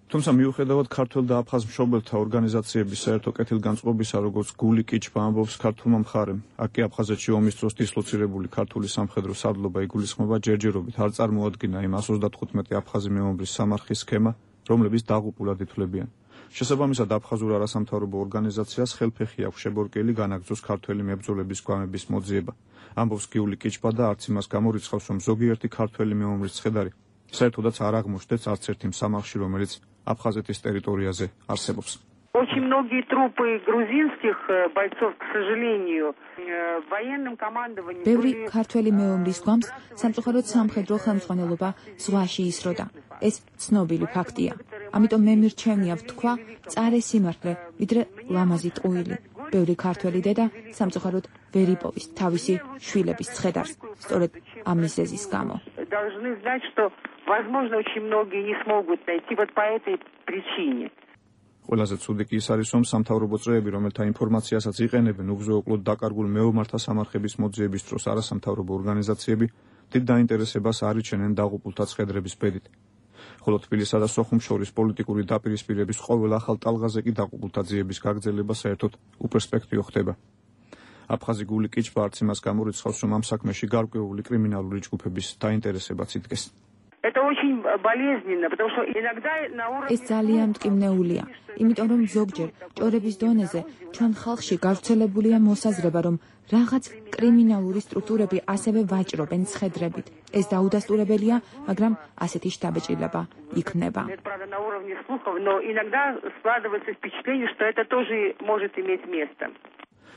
თუმცა მიუხედავად ქართველ და აფხაზ მშობელთა ორგანიზაციების საერთო კეთილგანწყობისა, როგორც გული კიჩვა ამბობს ქართულმა მხარემ, აქ კი აფხაზეთში ომის დროს დისლოცირებული ქართული სამხედრო სარდლობა იგულისხმება ჯერჯერობით არ წარმოადგინა იმ ას ოცდათხუთმეტი აფხაზი მეომრის სამარხის სქემა, რომლებიც დაღუპულად ითვლებიან. შესაბამისად, აფხაზურ არასამთავრობო ორგანიზაციას ხელფეხი აქვს შებორკელი განაგრძოს ქართველი მებრძოლების გვამების მოძიება. ამბობს გიული კიჩვა და არც იმას გამორიცხავს, რომ ზოგიერთი ქართველი მეომრის ცხედარი საერთოდაც არ აღმოჩნდეს არც ერთი სამარხში, რომელიც აფხაზეთის ტერიტორიაზე არსებობს. Очень многие трупы грузинских бойцов, к сожалению, военным командованием. ბევრი ქართველი მეომრის გვამს სამწუხაროდ სამხედრო ხელმძღვანელობა ზღვაში ისროდა. ეს ცნობილი ფაქტია. ამიტომ მე მირჩევნია ვთქვა წარე სიმართლე, ვიდრე ლამაზი ტყუილი. ბევრი ქართველი დედა სამწუხაროდ ვერ იპოვის თავისი შვილების ცხედარს, სწორედ ამ მიზეზის გამო. Должны знать, что возможно очень многие не смогут найти вот по этой причине. ყველაზე ცუდი კი ის არის, რომ სამთავრობო წრეები, რომელთა ინფორმაციასაც იყენებენ უგზო-უკლოდ დაკარგულ მეომართა სამარხების მოძიების დროს არასამთავრობო ორგანიზაციები, დიდ დაინტერესებას არ იჩენენ დაღუპულთა ცხედრების ბედით. ხოლო თბილისსა და სოხუმს შორის პოლიტიკური დაპირისპირების ყოველ ახალ ტალღაზე კი დაღუპულთა ძიების გაგრძელება საერთოდ უპერსპექტივო ხდება. აფხაზი გული კიჩვა არც იმას გამორიცხავს, რომ ამ საქმეში გარკვეული კრიმინალური ჯგუფების დაინტერესებაც იდგეს. Это очень болезненно, потому что иногда на уровне ეს ძალიან მტკივნეულია, იმიტომ რომ ზოგჯერ ჭორების დონეზე ჩვენ ხალხში გავრცელებულია მოსაზრება, რომ რაღაც კრიმინალური სტრუქტურები ასევე ვაჭრობენ ცხედრებით. ეს დაუდასტურებელია, მაგრამ ასეთი შთაბეჭდილება იქნება. Правда, на уровне слухов, но иногда складывается впечатление, что это тоже может иметь место.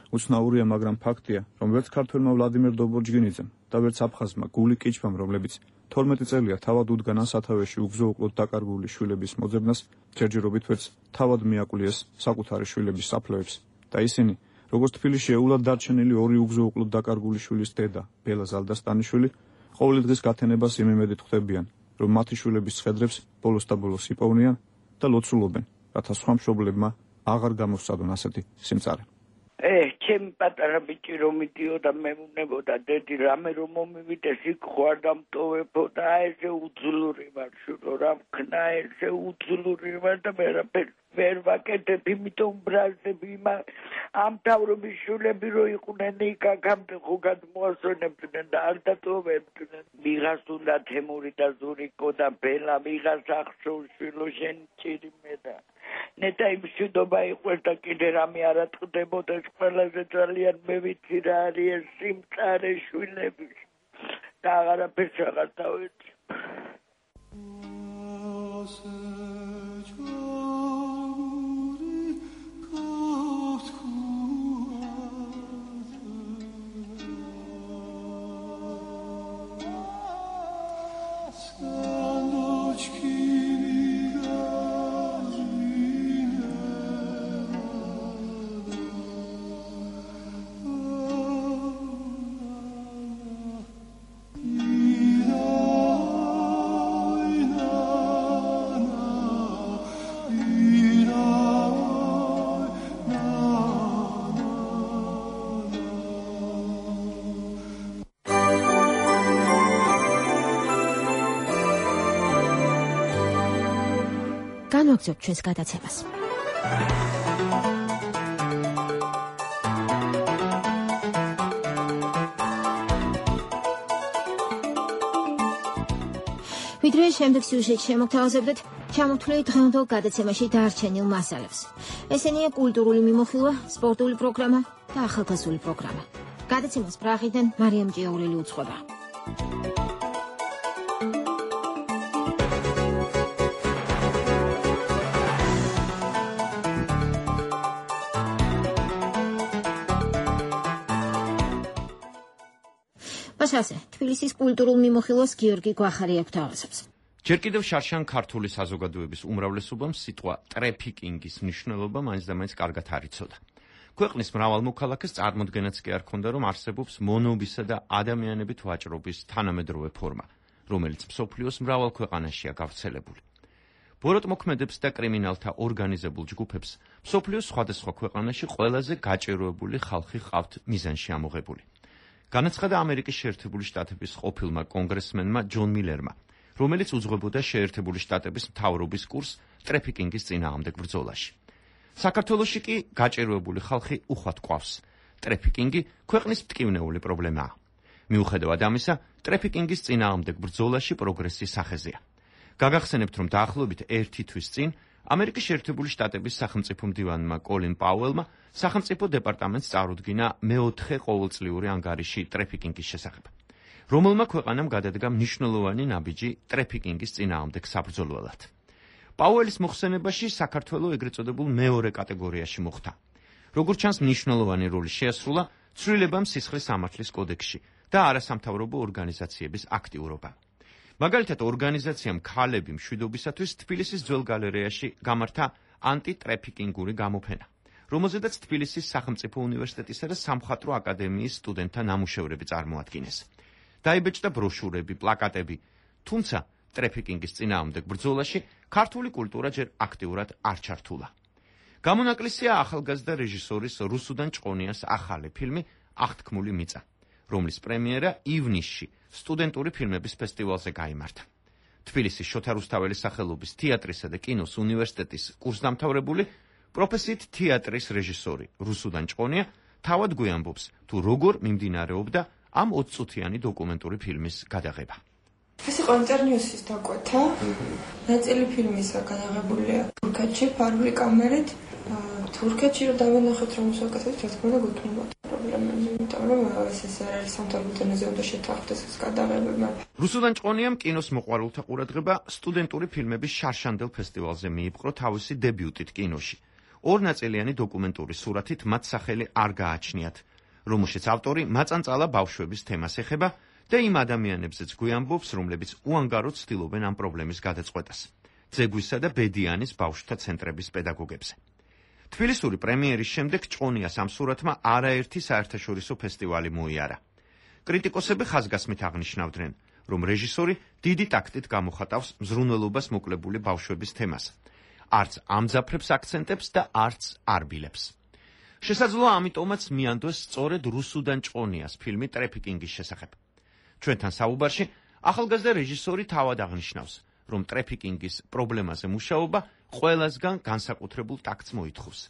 უცნაურია, მაგრამ ფაქტია, რომ ვერც ქართველმა ვლადიმერ დობორჯგინიძემ და ვერც აფხაზმა გული კიჩვამ, რომლებიც თორმეტი წელია თავად უდგანან სათავეში უგზო-უკლოდ დაკარგული შვილების მოძებნას, ჯერჯერობით ვერც თავად მიაკლიეს საკუთარი შვილების საფლავებს და ისინი, როგორც თბილისში ეულად დარჩენილი ორი უგზო-უკლოდ დაკარგული შვილის დედა, ბელა ზალდასტანიშვილი, ყოველი დღის გათენებას იმ იმედით ხვდებიან, რომ მათი შვილების სხედრებს ბოლოს და ბოლოს იპოვნიან და ლოცულობენ, რათა სხვა მშობლებმა აღარ გამოსცადონ ასეთი სიმწარე. ე, ჩემი პატარა ბიჭი რომ მიდიოდა მე ვუნებოდა დედი რამე რომ მომივიდეს იქ ხوار დამტოვებოდა ესე უძლური ვარ შურო რა ვქნა ესე უძლური ვარ და მე რა ვერ ვაკეთებ იმიტომ ბრაზები ამ თავრობის შულები რო იყვნენ იქ აქამდე ხო გადმოასვენებდნენ და არ დატოვებდნენ ვიღას უნდა თემური და ზურიკო და ბელა ვიღას ახშოვშვილო შენ ჭირი მე და ნეტა იმ მშვიდობა იყვეს და კიდე რამე არ ატყდებოდეს ყველაზე ძალიან მე ვიცი რა არის ეს სიმწარე შვილები და აღარაფერს აღარ დავეცი განვაგრძობთ ჩვენს გადაცემას. ვიდრე შემდეგ სიუჟეტში შემოგთავაზებდეთ ჩამოთვლილი დღევანდელ გადაცემაში დარჩენილ მასალებს. ესენია კულტურული მიმოხილვა, სპორტული პროგრამა და ახალგაზრდული პროგრამა. გადაცემას პრაღიდან მარიამ ჭიაურელი უძღვება. ასე თბილისის კულტურულ მიმოხილვას გიორგი გვახარი აღთავაზებს. ჯერ კიდევ შარშან ქართული საზოგადოების უმრავლესობამ სიტყვა ტრეფიკინგის მნიშვნელობა მაინც და მაინც კარგად არ იცოდა. ქვეყნის მრავალ მოქალაქეს წარმოდგენაც კი არ ჰქონდა, რომ არსებობს მონობისა და ადამიანებით ვაჭრობის თანამედროვე ფორმა, რომელიც მსოფლიოს მრავალ ქვეყანაშია გავრცელებული. ბოროტმოქმედებს და კრიმინალთა ორგანიზებულ ჯგუფებს მსოფლიოს სხვადასხვა ქვეყანაში ყველაზე გაჭირვებული ხალხი ჰყავთ მიზანში ამოღებული. განაცხადა ამერიკის შეერთებული შტატების ყოფილმა კონგრესმენმა ჯონ მილერმა, რომელიც უძღვებოდა შეერთებული შტატების მთავრობის კურსს ტრეფიკინგის წინააღმდეგ ბრძოლაში. საქართველოში კი გაჭირვებული ხალხი უხვად ყვავს. ტრეფიკინგი ქვეყნის მტკივნეული პრობლემაა. მიუხედავად ამისა, ტრეფიკინგის წინააღმდეგ ბრძოლაში პროგრესის სახეზეა. გაგახსენებთ, რომ დაახლოებით ერთი თვის წინ ამერიკის შეერთებული შტატების სახელმწიფო მდივანმა კოლინ პაუელმა სახელმწიფო დეპარტამენტს წარუდგინა მეოთხე ყოველწლიური ანგარიში ტრეფიკინგის შესახებ, რომელმა ქვეყანამ გადადგა მნიშვნელოვანი ნაბიჯი ტრეფიკინგის წინააღმდეგ საბრძოლველად. პაუელის მოხსენებაში საქართველოს ეგრეთ წოდებულ მეორე კატეგორიაში მოხვდა. როგორც ჩანს, მნიშვნელოვანი როლი შეასრულა ცვლილებამ სისხლის სამართლის კოდექსში და არასამთავრობო ორგანიზაციების აქტიურობა. მაგალითად, ორგანიზაციამ ქალები მშვიდობისათვის თბილისის ძველ გალერეაში გამართა ანტიტრეფიკინგური გამოფენა, რომელზედაც თბილისის სახელმწიფო უნივერსიტეტისა და სამხატვრო აკადემიის სტუდენტთა ნამუშევრები წარმოადგინეს. დაიბეჭდა ბროშურები, პლაკატები, თუმცა ტრეფიკინგის წინააღმდეგ ბრძოლაში ქართული კულტურა ჯერ აქტიურად არ ჩართულა. გამონაკლისია ახალგაზრდა რეჟისორის რუსუდან ჭყონიას ახალი ფილმი აღთქმული მიწა, რომლის პრემიერა ივნისში სტუდენტური ფილმების ფესტივალზე გაიმართა. თბილისის შოთა რუსთაველის სახელობის თეატრისა და კინოს უნივერსიტეტის კურსდამთავრებული პროფესიით თეატრის რეჟისორი რუსუდან ჭყონია თავად გვიამბობს, თუ როგორ მიმდინარეობდა ამ ოცწუთიანი დოკუმენტური ფილმის გადაღება. ეს იყო ინტერნიუსის დაკვეთა. ნაწილი ფილმისა გადაღებულია თურქეთში, ფარული კამერით. თურქეთში რომ დავინახეთ, რომ მოსაკეთეთ, რა თქმა უნდა, გვექნებოდა პრობლემები, იმიტომ რომ ეს ეს არ არის სამთავრობო დონეზე უნდა შეთანხმდეს ეს გადაღებები. რუსუდან ჭყონიამ კინოს მოყვარულთა ყურადღება სტუდენტური ფილმების შარშანდელ ფესტივალზე მიიპყრო თავისი დებიუტით კინოში. ორნაწილიანი დოკუმენტური სურათით მათ სახელი არ გააჩნიათ, რომელშიც ავტორი მაწანწალა ბავშვების თემას ეხება და იმ ადამიანებზეც გვიამბობს, რომლებიც უანგაროდ ცდილობენ ამ პრობლემის გადაწყვეტას. ძეგვისა და ბედიანის ბავშვთა ცენტრების პედაგოგებზე. თბილისური პრემიერის შემდეგ ჭყონიას ამ სურათმა არაერთი საერთაშორისო ფესტივალი მოიარა. კრიტიკოსები ხაზგასმით აღნიშნავდნენ, რომ რეჟისორი დიდი ტაქტით გამოხატავს მზრუნველობას მოკლებული ბავშვების თემას. არც ამძაფრებს აქცენტებს და არც არბილებს. შესაძლოა ამიტომაც მიანდოს სწორედ რუსუდან ჭყონიას ფილმი ტრეფიკინგის შესახებ. ჩვენთან საუბარში ახალგაზრდა რეჟისორი თავად აღნიშნავს, რომ ტრეფიკინგის პრობლემაზე მუშაობა ყველასგან განსაკუთრებულ ტაქტს მოითხოვს.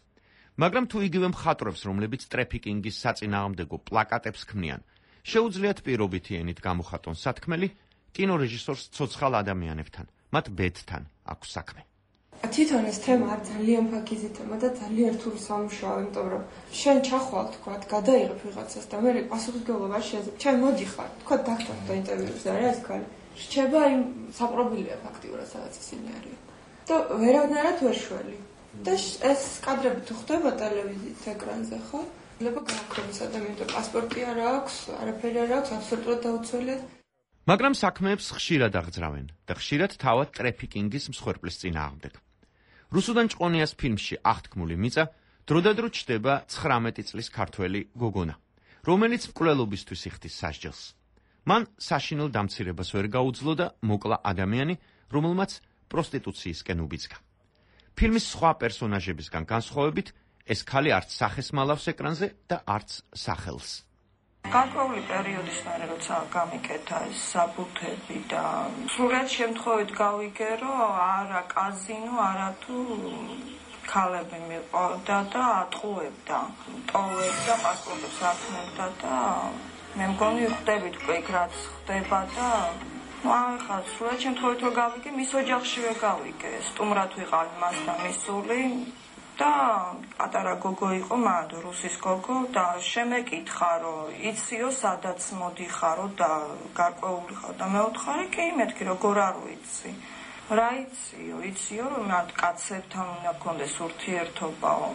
მაგრამ თუ იგივე მხატვრებს, რომლებიც ტრეფიკინგის საწინააღმდეგო პლაკატებს ქმნიან, შეუძლიათ პირობითი ენით გამოხატონ სათქმელი, კინორეჟისორს ცოცხალ ადამიანებთან, მათ ბედთან აქვს საქმე. თვითონ ეს თემა არ ძალიან ფაქიზი თემა და ძალიან რთული სამუშაო, იმიტომ რომ შენ ჩახვალ თქვა, გადაიღებ ვიღაცას და მე პასუხისმგებლობა შეეძლებ. ჩვენ მოდიხარ, თქვა დაქტორ და ინტერვიუზე არა ეს ქალი. რჩება იმ საპრობილია ფაქტიურად სადაც ისინი არიან. და ვერავნაირად ვერ შველი. და ეს კადრები თუ ხდება ტელევიზიის ეკრანზე, ხო? შეიძლება გააქროს ადამიანს პასპორტი არ აქვს, არაფერი არ აქვს, აბსოლუტურად დაუცველია. მაგრამ საქმეებს ხშირად აღძრავენ და ხშირად თავად ტრეფიკინგის მსხვერპლის წინააღმდეგ. რუსუდან ჭყონიას ფილმში აღთქმული მიწა დროდადრო ჩდება ცხრამეტი წლის ქართველი გოგონა, რომელიც მკვლელობისთვის იხდის სასჯელს. მან საშინელ დამცირებას ვერ გაუძლო და მოკლა ადამიანი, რომელმაც პროსტიტუციისკენ უბიძგა. ფილმის სხვა პერსონაჟებისგან განსხვავებით, ეს ქალი არც სახეს მალავს ეკრანზე და არც სახელს. გარკვეული პერიოდის მერე როცა გამიკეთა ეს საბუთები და სრულად შემთხვევით გავიგე, რომ არა კაზინო, არა თუ ქალები მიყავდა და ატყუებდა, ტოვებდა პასპორტებს აფრთხებდა და მე მგონი ხვდებით იქ რაც ხდება და ну ახლა სრულად შემთხვევით რომ გავიგე, მის ოჯახშივე გავიგე, სტუმრად ვიყავი მასთან მისული და პატარა გოგო იყო მანდ რუსის გოგო და შემეკითხა რომ იციო სადაც მოდიხარო და გარკვეული ხარ და მე ვთხარი კი მეთქი როგორ არ ვიცი რა იციო იციო რომ მათ კაცებთან უნდა გქონდეს ურთიერთობაო.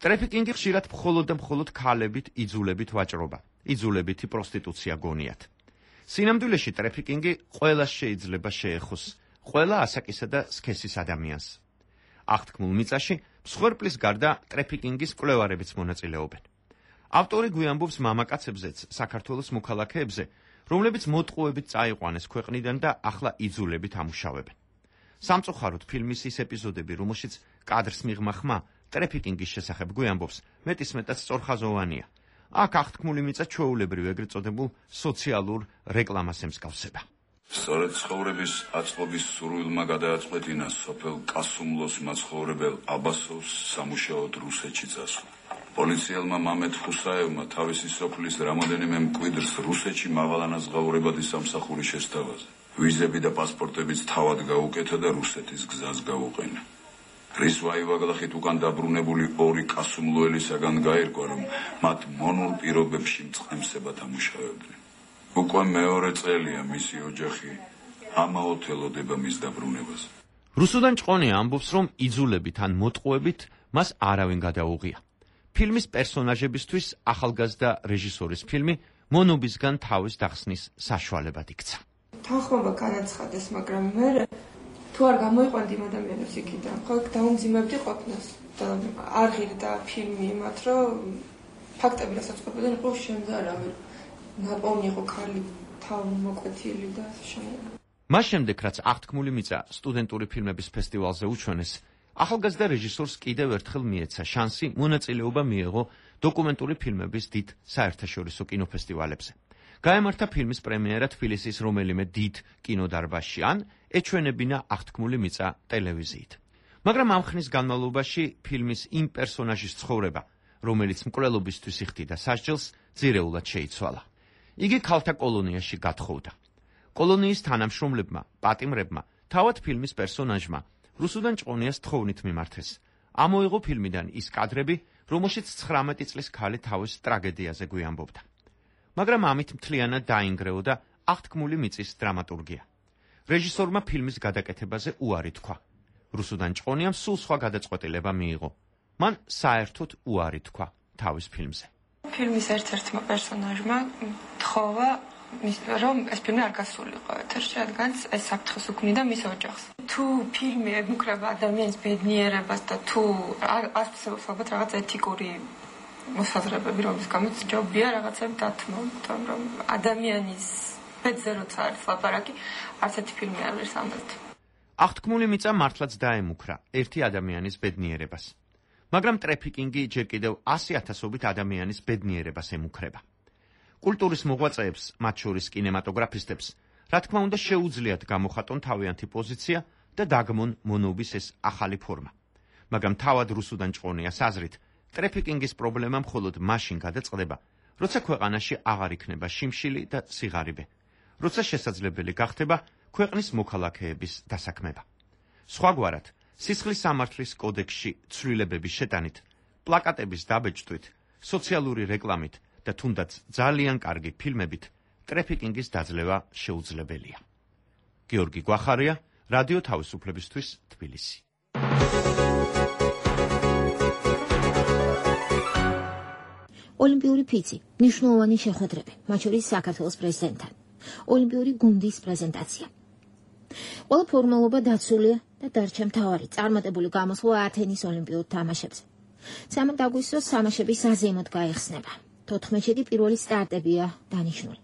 ტრეფიკინგი ხშირად მხოლოდ და მხოლოდ ქალებით იძულებით ვაჭრობა, იძულებითი პროსტიტუცია გონიათ. სინამდვილეში ტრეფიკინგი ყველას შეიძლება შეეხოს, ყველა ასაკისა და სქესის ადამიანს. აღთქმულ მიწაში მსხვერპლის გარდა ტრეფიკინგის მკვლევარებიც მონაწილეობენ. ავტორი გვიამბობს მამაკაცებზეც საქართველოს მოქალაქეებზე, რომლებიც მოტყუებით წაიყვანეს ქვეყნიდან და ახლა იძულებით ამუშავებენ. სამწუხაროდ ფილმის ის ეპიზოდები, რომელშიც კადრს მიღმა ხმა ტრეფიკინგის შესახებ გვიამბობს, მეტისმეტად სწორხაზოვანია. აქ აღთქმული მიწა ჩვეულებრივ ეგრეთ წოდებულ სოციალურ რეკლამას ემსგავსება. სწორედ ცხოვრების აწყობის სურვილმა გადააწყვეტინა სოფელ კასუმლოს მაცხოვრებელ აბასოვს სამუშაოდ რუსეთში წასვლა. პოლიციელმა მამედ ხუსაევმა თავისი სოფლის რამოდენიმე მკვიდრს რუსეთში მაღალანაზღაურებადი სამსახური შესთავაზა. ვიზები და პასპორტებიც თავად გაუკეთა და რუსეთის გზას გაუყენა. რის ვაივაგლახით უკან დაბრუნებული ორი კასუმლოელისაგან გაირკვა, რომ მათ მონურ პირობებში მწყემსებად ამუშავებდნენ. უკვე მეორე წელია მისი ოჯახი ამაოდ ელოდება მის დაბრუნებას. რუსუდან ჭყონია ამბობს, რომ იძულებით ან მოტყუებით მას არავინ გადაუღია. ფილმის პერსონაჟებისთვის ახალგაზრდა რეჟისორის ფილმი მონობისგან თავის დახსნის საშუალებად იქცა. თანხმობა განაცხადეს, მაგრამ მე თუ არ გამოიყვანდი იმ ადამიანებს იქიდან, ხო დაუმძიმებდი ყოფნას და არ ღირდა ფილმი იმათ, რომ ფაქტები რასაც ყოფილან იყო შემზარავი. ნაპოვნი იყო ქალი თავი მოკვეთილი და შემოგვი. მას შემდეგ, რაც აღთქმული მიწა სტუდენტური ფილმების ფესტივალზე უჩვენეს, ახალგაზრდა რეჟისორს კიდევ ერთხელ მიეცა შანსი მონაწილეობა მიეღო დოკუმენტური ფილმების დიდ საერთაშორისო კინოფესტივალებზე. გაემართა ფილმის პრემიერა თბილისის რომელიმე დიდ კინოდარბაზში ან ეჩვენებინა აღთქმული მიწა ტელევიზიით. მაგრამ ამ ხნის განმავლობაში ფილმის იმ პერსონაჟის ცხოვრება, რომელიც მკვლელობისთვის იხდიდა სასჯელს, ძირეულად შეიცვალა. იგი ქალთა კოლონიაში გათხოვდა. კოლონიის თანამშრომლებმა, პატიმრებმა, თავად ფილმის პერსონაჟმა რუსუდან ჭყონიას თხოვნით მიმართეს. ამოიღო ფილმიდან ის კადრები, რომელშიც ცხრამეტი წლის ქალი თავის ტრაგედიაზე გვიამბობდა. მაგრამ ამით მთლიანად დაინგრეოდა აღთქმული მიწის დრამატურგია. რეჟისორმა ფილმის გადაკეთებაზე უარი თქვა. რუსუდან ჭყონიამ სულ სხვა გადაწყვეტილება მიიღო. მან საერთოდ უარი თქვა თავის ფილმზე. ფილმის ერთ-ერთმა პერსონაჟმა თხოვა, რომ ეს ფილმი არ გასულიყო ეთერში, რადგან ეს საფრთხეს უქმნიდა მის ოჯახს. თუ ფილმი ემუქრება ადამიანის ბედნიერებას და თუ ასწავლებს ალბათ რაღაც ეთიკური მოსაზრებები, რომლის გამოც ჯობია რაღაცები დათმო, რომ ადამიანის ბედზე როცა არის ლაპარაკი, არც ერთი ფილმი არ არის ამბობთ. აღთქმული მიწა მართლაც დაემუქრა ერთი ადამიანის ბედნიერებას. მაგრამ ტრეფიკინგი ჯერ კიდევ ასი ათასობით ადამიანის ბედნიერებას ემუქრება. კულტურის მოღვაწეებს, მათ შორის კინემატოგრაფისტებს, რა თქმა უნდა შეუძლიათ გამოხატონ თავიანთი პოზიცია და დაგმონ მონობის ეს ახალი ფორმა. მაგრამ თავად რუსუდან ჭყონიას აზრით, ტრეფიკინგის პრობლემა მხოლოდ მაშინ გადაწყდება, როცა ქვეყანაში აღარ იქნება შიმშილი და სიღარიბე, როცა შესაძლებელი გახდება ქვეყნის მოქალაქეების დასაქმება. სხვაგვარად, სისხლის სამართლის კოდექსში ცვლილებების შეტანით, პლაკატების დაბეჭდვით, სოციალური რეკლამით და თუნდაც ძალიან კარგი ფილმებით ტრეფიკინგის დაძლევა შეუძლებელია. გიორგი გვახარია, რადიო თავისუფლებისთვის, თბილისი. ოლიმპიური ფიცი, მნიშვნელოვანი შეხვედრები, მათ შორის საქართველოს პრეზიდენტთან. ოლიმპიური გუნდის პრეზენტაცია. ყველა ფორმალობა დაცულია და დარჩა მთავარი წარმატებული გამოსვლა ათენის ოლიმპიურ თამაშებზე. სამი აგვისტოს თამაშების საზეიმოდ გაიხსნება. თოთხმეტი პირველი სტარტებია დანიშნული.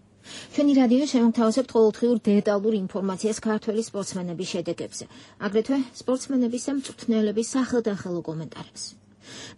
ჩვენი რადიო შემოგთავაზებთ ყოველდღიურ დეტალურ ინფორმაციას ქართველი სპორტსმენების შედეგებზე, აგრეთვე სპორტსმენების და მწვრთნელების სახელდახელო კომენტარებს.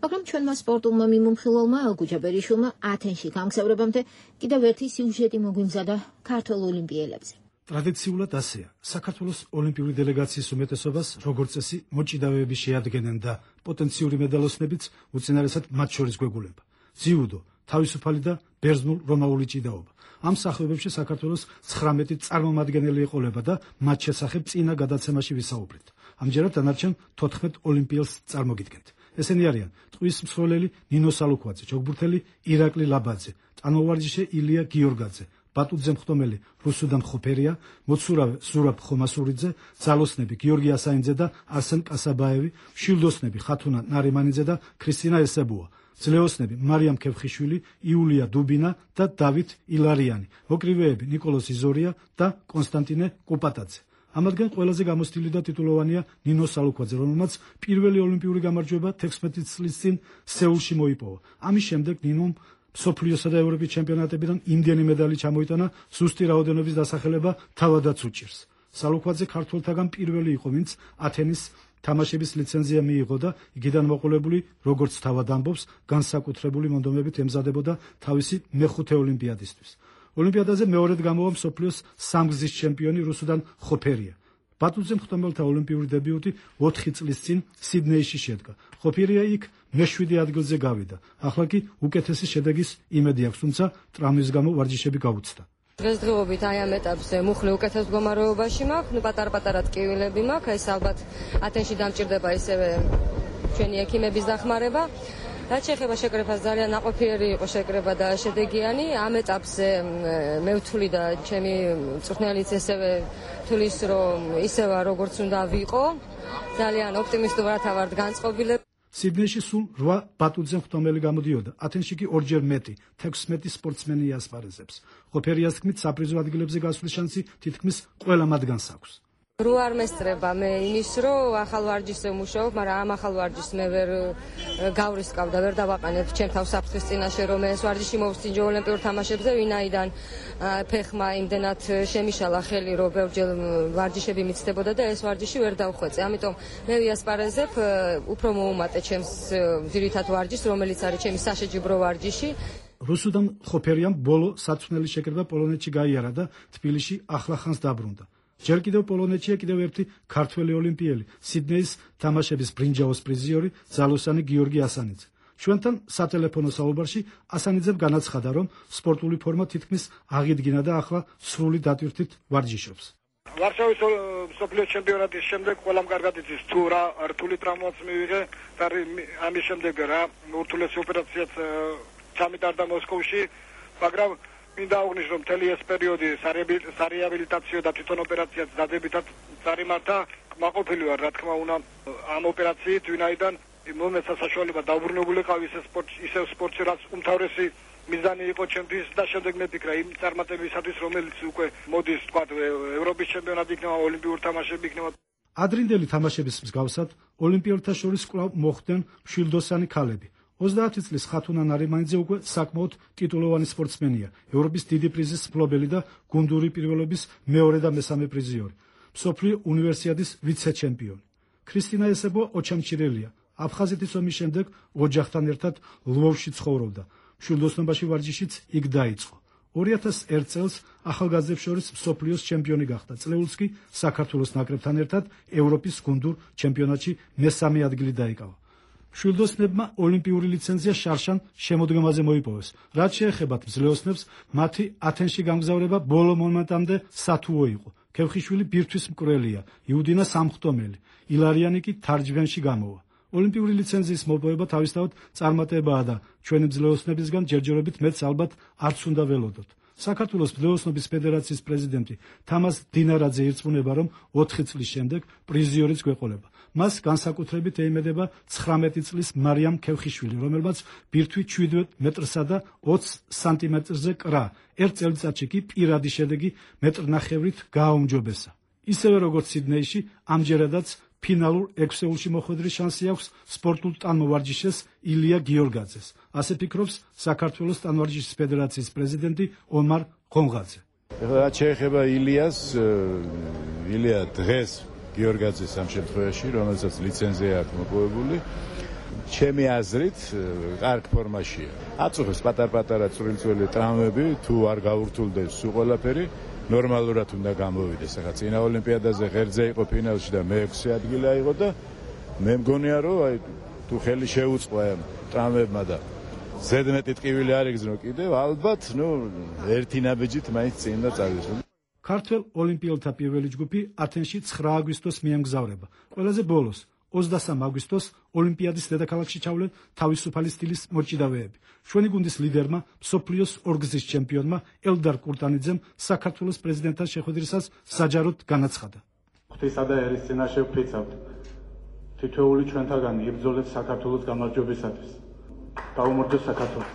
მაგრამ ჩვენმა სპორტულმა მიმომხილველმა ალგუჯა ბერიშვილმა ათენში გამგზავრებამდე კიდევ ერთი სიუჟეტი მოგვიმზადა ქართველ ოლიმპიელებზე. ტრადიციულად ასეა, საქართველოს ოლიმპიური დელეგაციის უმეტესობას როგორც წესი მოჭიდავეები შეადგენენ და პოტენციური მედალოსნებიც უწინარესად მათ შორის გვეგულება. ძიუდო, თავისუფალი და ბერძნულ-რომაული ჭიდაობა. ამ სახეობებში საქართველოს ცხრამეტი წარმომადგენელი ეყოლება და მათ შესახებ წინა გადაცემაში ვისაუბრეთ. ამჯერად დანარჩენ თოთხმეტ ოლიმპიელს წარმოგიდგენთ. ესენი არიან ტყვის მსროლელი ნინო სალუქვაძე, ჯოგბურთელი ირაკლი ლაბაძე, ტანმოვარჯიშე ილია გიორგაძე, ბატუძე მხტომელი რუსუდან ხოფერია, მოცურავე ზურაბ ხომასურიძე, ძალოსნები გიორგი ასაინძე და არსენ კასაბაევი, შილდოსნები ხათუნა ნარიმანიძე და ქრისტინა ესებუა, ძლეოსნები მარიამ ქევხიშვილი, იულია დუბინა და დავით ილარიანი, მოკრივეები ნიკოლოზ იზორია და კონსტანტინე კუპატაძე. ამათგან ყველაზე გამოცდილი და ტიტულოვანია ნინო სალუქვაძე, რომელმაც პირველი ოლიმპიური გამარჯვება თექვსმეტი წლის წინ სეულში მოიპოვა. ამის შემდეგ ნინომ მსოფლიოსა და ევროპის ჩემპიონატებიდან იმდენი медаლი ჩამოიტანა, ზუსტი რაოდენობის დასახელება თავადაც უჭირს. სალუქვაძე ქართველთაგან პირველი იყო, ვინც ათენის თამაშების ლიცენზია მიიღო და იქიდან მოყოლებული, როგორც თავად ამბობს, განსაკუთრებული მონდომებით ემზადებოდა თავისი მეხუთე ოლიმპიადისთვის. ოლიმპიადაზე მეორედ გამოვა მსოფლიოს სამგზის ჩემპიონი რუსუდან ხოფერია. ბატუძე მხტომელთა ოლიმპიური დებიუტი ოთხი წლის წინ სიდნეიში შედგა. ხოფერია იქ მეშვიდე ადგილზე გავიდა. ახლა კი უკეთესი შედეგის იმედი აქვს, თუმცა ტრამვის გამო ვარჯიშები გაუცდა. დღესდღეობით აი ამ ეტაპზე მუხლი უკეთეს მდგომარეობაში მაქვს, ნუ პატარ-პატარა ტკივილები მაქვს, ეს ალბათ ათენში დამჭირდება ისევე ჩვენი ექიმების დახმარება. რაც შეეხება შეკრებას, ძალიან ნაყოფიერი იყო შეკრება და შედეგიანი. ამ ეტაპზე მე ვთვლი და ჩემი მწვრთნელიც ესევე თulis რომ ისევა როგორც უნდა ვიყო. ძალიან ოპტიმისტურად ვართ განწყობილები. სიდნეიში სულ რვა ბატუძე მხტომელი გამოდიოდა. ათენში კი ორჯერ მეტი, თექვსმეტი სპორტსმენი იასპარეზებს. ხოფერიას თქმით, საპრიზო ადგილებზე გასვლის შანსი თითქმის ყველა მათგანს აქვს. რო არ მესწრება მე იმის რომ ახალ ვარჯიშზე ვმუშაობ, მაგრამ ამ ახალ ვარჯიშს მე ვერ გავრისკავ და ვერ დავაყენებ ჩემ თავს საფრთხის წინაშე რომ ეს ვარჯიში მოვსწინჯო ოლიმპიურ თამაშებზე, ვინაიდან ფეხმა იმდენად შემიშალა ხელი რომ ბევრჯერ ვარჯიშები მიცდებოდა და ეს ვარჯიში ვერ დავხვეწე. ამიტომ მე ვიასპარეზებ უფრო მოუმატე ჩემს ძირითად ვარჯიშს, რომელიც არის ჩემი საშეჯიბრო ვარჯიში. რუსუდან ხოფერიამ ბოლო საწვნელი შეკრება პოლონეთში გაიარა და თბილისში ახლახანს დაბრუნდა. ჯერ კიდევ პოლონეთშია კიდევ ერთი ქართველი ოლიმპიელი, სიდნეის თამაშების ბრინჯაოს პრიზიორი, ძალოსანი გიორგი ასანიძე. ჩვენთან სატელეფონო საუბარში ასანიძემ განაცხადა, რომ სპორტული ფორმა თითქმის აღიდგინა და ახლა სრული დატვირთვით ვარჯიშობს. ვარშავის მსოფლიოს ჩემპიონატის შემდეგ ყველამ კარგად იცის თუ რა რთული ტრავმაც მივიღე და ამის შემდეგ რა ურთულესი ოპერაციაც ჩამიტარდა მოსკოვში, მაგრამ მინდა აღნიშნო, რომ მთელი ეს პერიოდი სარეაბილიტაციო და თვითონ ოპერაციაც დადებითად წარიმართა. კმაყოფილი ვარ, რა თქმა უნდა, ამ ოპერაციით, ვინაიდან მომეცა საშუალება დაუბრუნებულიყავ ისე სპორტში, ისე სპორტში, რაც უმთავრესი მიზანი იყო ჩემთვის და შემდეგ მეფიქრა იმ წარმატებისათვის, რომელიც უკვე მოდის, თქვა, ევროპის ჩემპიონატი იქნება, ოლიმპიური თამაშები იქნება. ადრინდელი თამაშების მსგავსად, ოლიმპიელთა შორის კვლავ მოხვდნენ მშვილდოსანი ქალები. ოცდაათი წლის ხათუნა ნარიმანიძე უკვე საკმაოდ ტიტულოვანი სპორტსმენია, ევროპის დიდი პრიზის მფლობელი და გუნდური პირველობის მეორე და მესამე პრიზიორი, მსოფლიო უნივერსიადის ვიცე-ჩემპიონი. ქრისტინა ესებო ოჩამჩირელია. აფხაზეთის ომის შემდეგ ოჯახთან ერთად ლვოვში ცხოვრობდა. მშვილდოსნობაში ვარჯიშიც იქ დაიწყო. ორი ათას ერთ წელს ახალგაზრდებს შორის მსოფლიოს ჩემპიონი გახდა. წლეულს კი საქართველოს ნაკრებთან ერთად ევროპის გუნდურ ჩემპიონატში მესამე ადგილი დაიკავა. მშვილდოსნებმა ოლიმპიური ლიცენზია შარშან შემოდგომაზე მოიპოვეს. რაც შეეხებათ მძლეოსნებს, მათი ათენში გამგზავრება ბოლო მომენტამდე სათუო იყო. ქევხიშვილი ბირთვის მკვლელია, იუდინა სამხტომელი, ილარიანი კი თარჯვენში გამოვა. ოლიმპიური ლიცენზიის მოპოვება თავისთავად წარმატებაა და ჩვენი მძლეოსნებისგან ჯერჯერობით მეც ალბათ არც უნდა ველოდოთ. საქართველოს მძლეოსნობის ფედერაციის პრეზიდენტი თამაზ დინარაძე ირწმუნება, რომ ოთხი წლის შემდეგ პრიზიორიც გვეყოლება. მას განსაკუთრებით ეიმედება ცხრამეტი წლის მარიამ ქევხიშვილი, რომელმაც ბირთვი შვიდ მეტრსა და ოცი სანტიმეტრზე კრა. ერთ წელიწადში კი პირადი შედეგი მეტრნახევრით გააუმჯობესა. ისევე როგორც სიდნეიში, ამჯერადაც ფინალურ ექვსეულში მოხვედრის შანსი აქვს სპორტულ ტანმოვარჯიშეს ილია გიორგაძეს. ასე ფიქრობს საქართველოს ტანვარჯიშის ფედერაციის პრეზიდენტი ომარ ხონღაძე. ეხლა რაც შეეხება ილიას, ილია დღეს გიორგაძეს ამ შემთხვევაში, რომელსაც ლიცენზია აქვს მოპოვებული, ჩემი აზრით, კარგ ფორმაშია. აწუხებს პატარ-პატარა წვრილ-წვრილი ტრამვები, თუ არ გაურთულდეს სულ ყველაფერი, ნორმალურად უნდა გამოვიდეს. ახლა წინა ოლიმპიადაზე ღერძზე იყო ფინალში და მეექვსე ადგილი აიღო და მე მგონია, რომ აი თუ ხელი შეუწყო ამ ტრამვებმა და ზედმეტი ტკივილი არ იგზნო კიდევ, ალბათ, ნუ ერთი ნაბიჯით მაინც წინ უნდა წავიდეს. ქართველ ოლიმპიელთა პირველი ჯგუფი ათენში ცხრა აგვისტოს მიემგზავრება. ყველაზე ბოლოს ოცდასამ აგვისტოს ოლიმპიადის დედაქალაქში ჩავლენ თავისუფალი სტილის მოჭიდავეები. ჩვენი გუნდის ლიდერმა, მსოფლიოს ორგზის ჩემპიონმა ელდარ კურტანიძემ საქართველოს პრეზიდენტთან შეხვედრისას საჯაროდ განაცხადა. ღვთისა და ერის წინაშე ვფრიცავთ. თითოეული ჩვენთაგანი იბრძოლებს საქართველოს გამარჯვებისათვის. გაუმარჯოს საქართველო.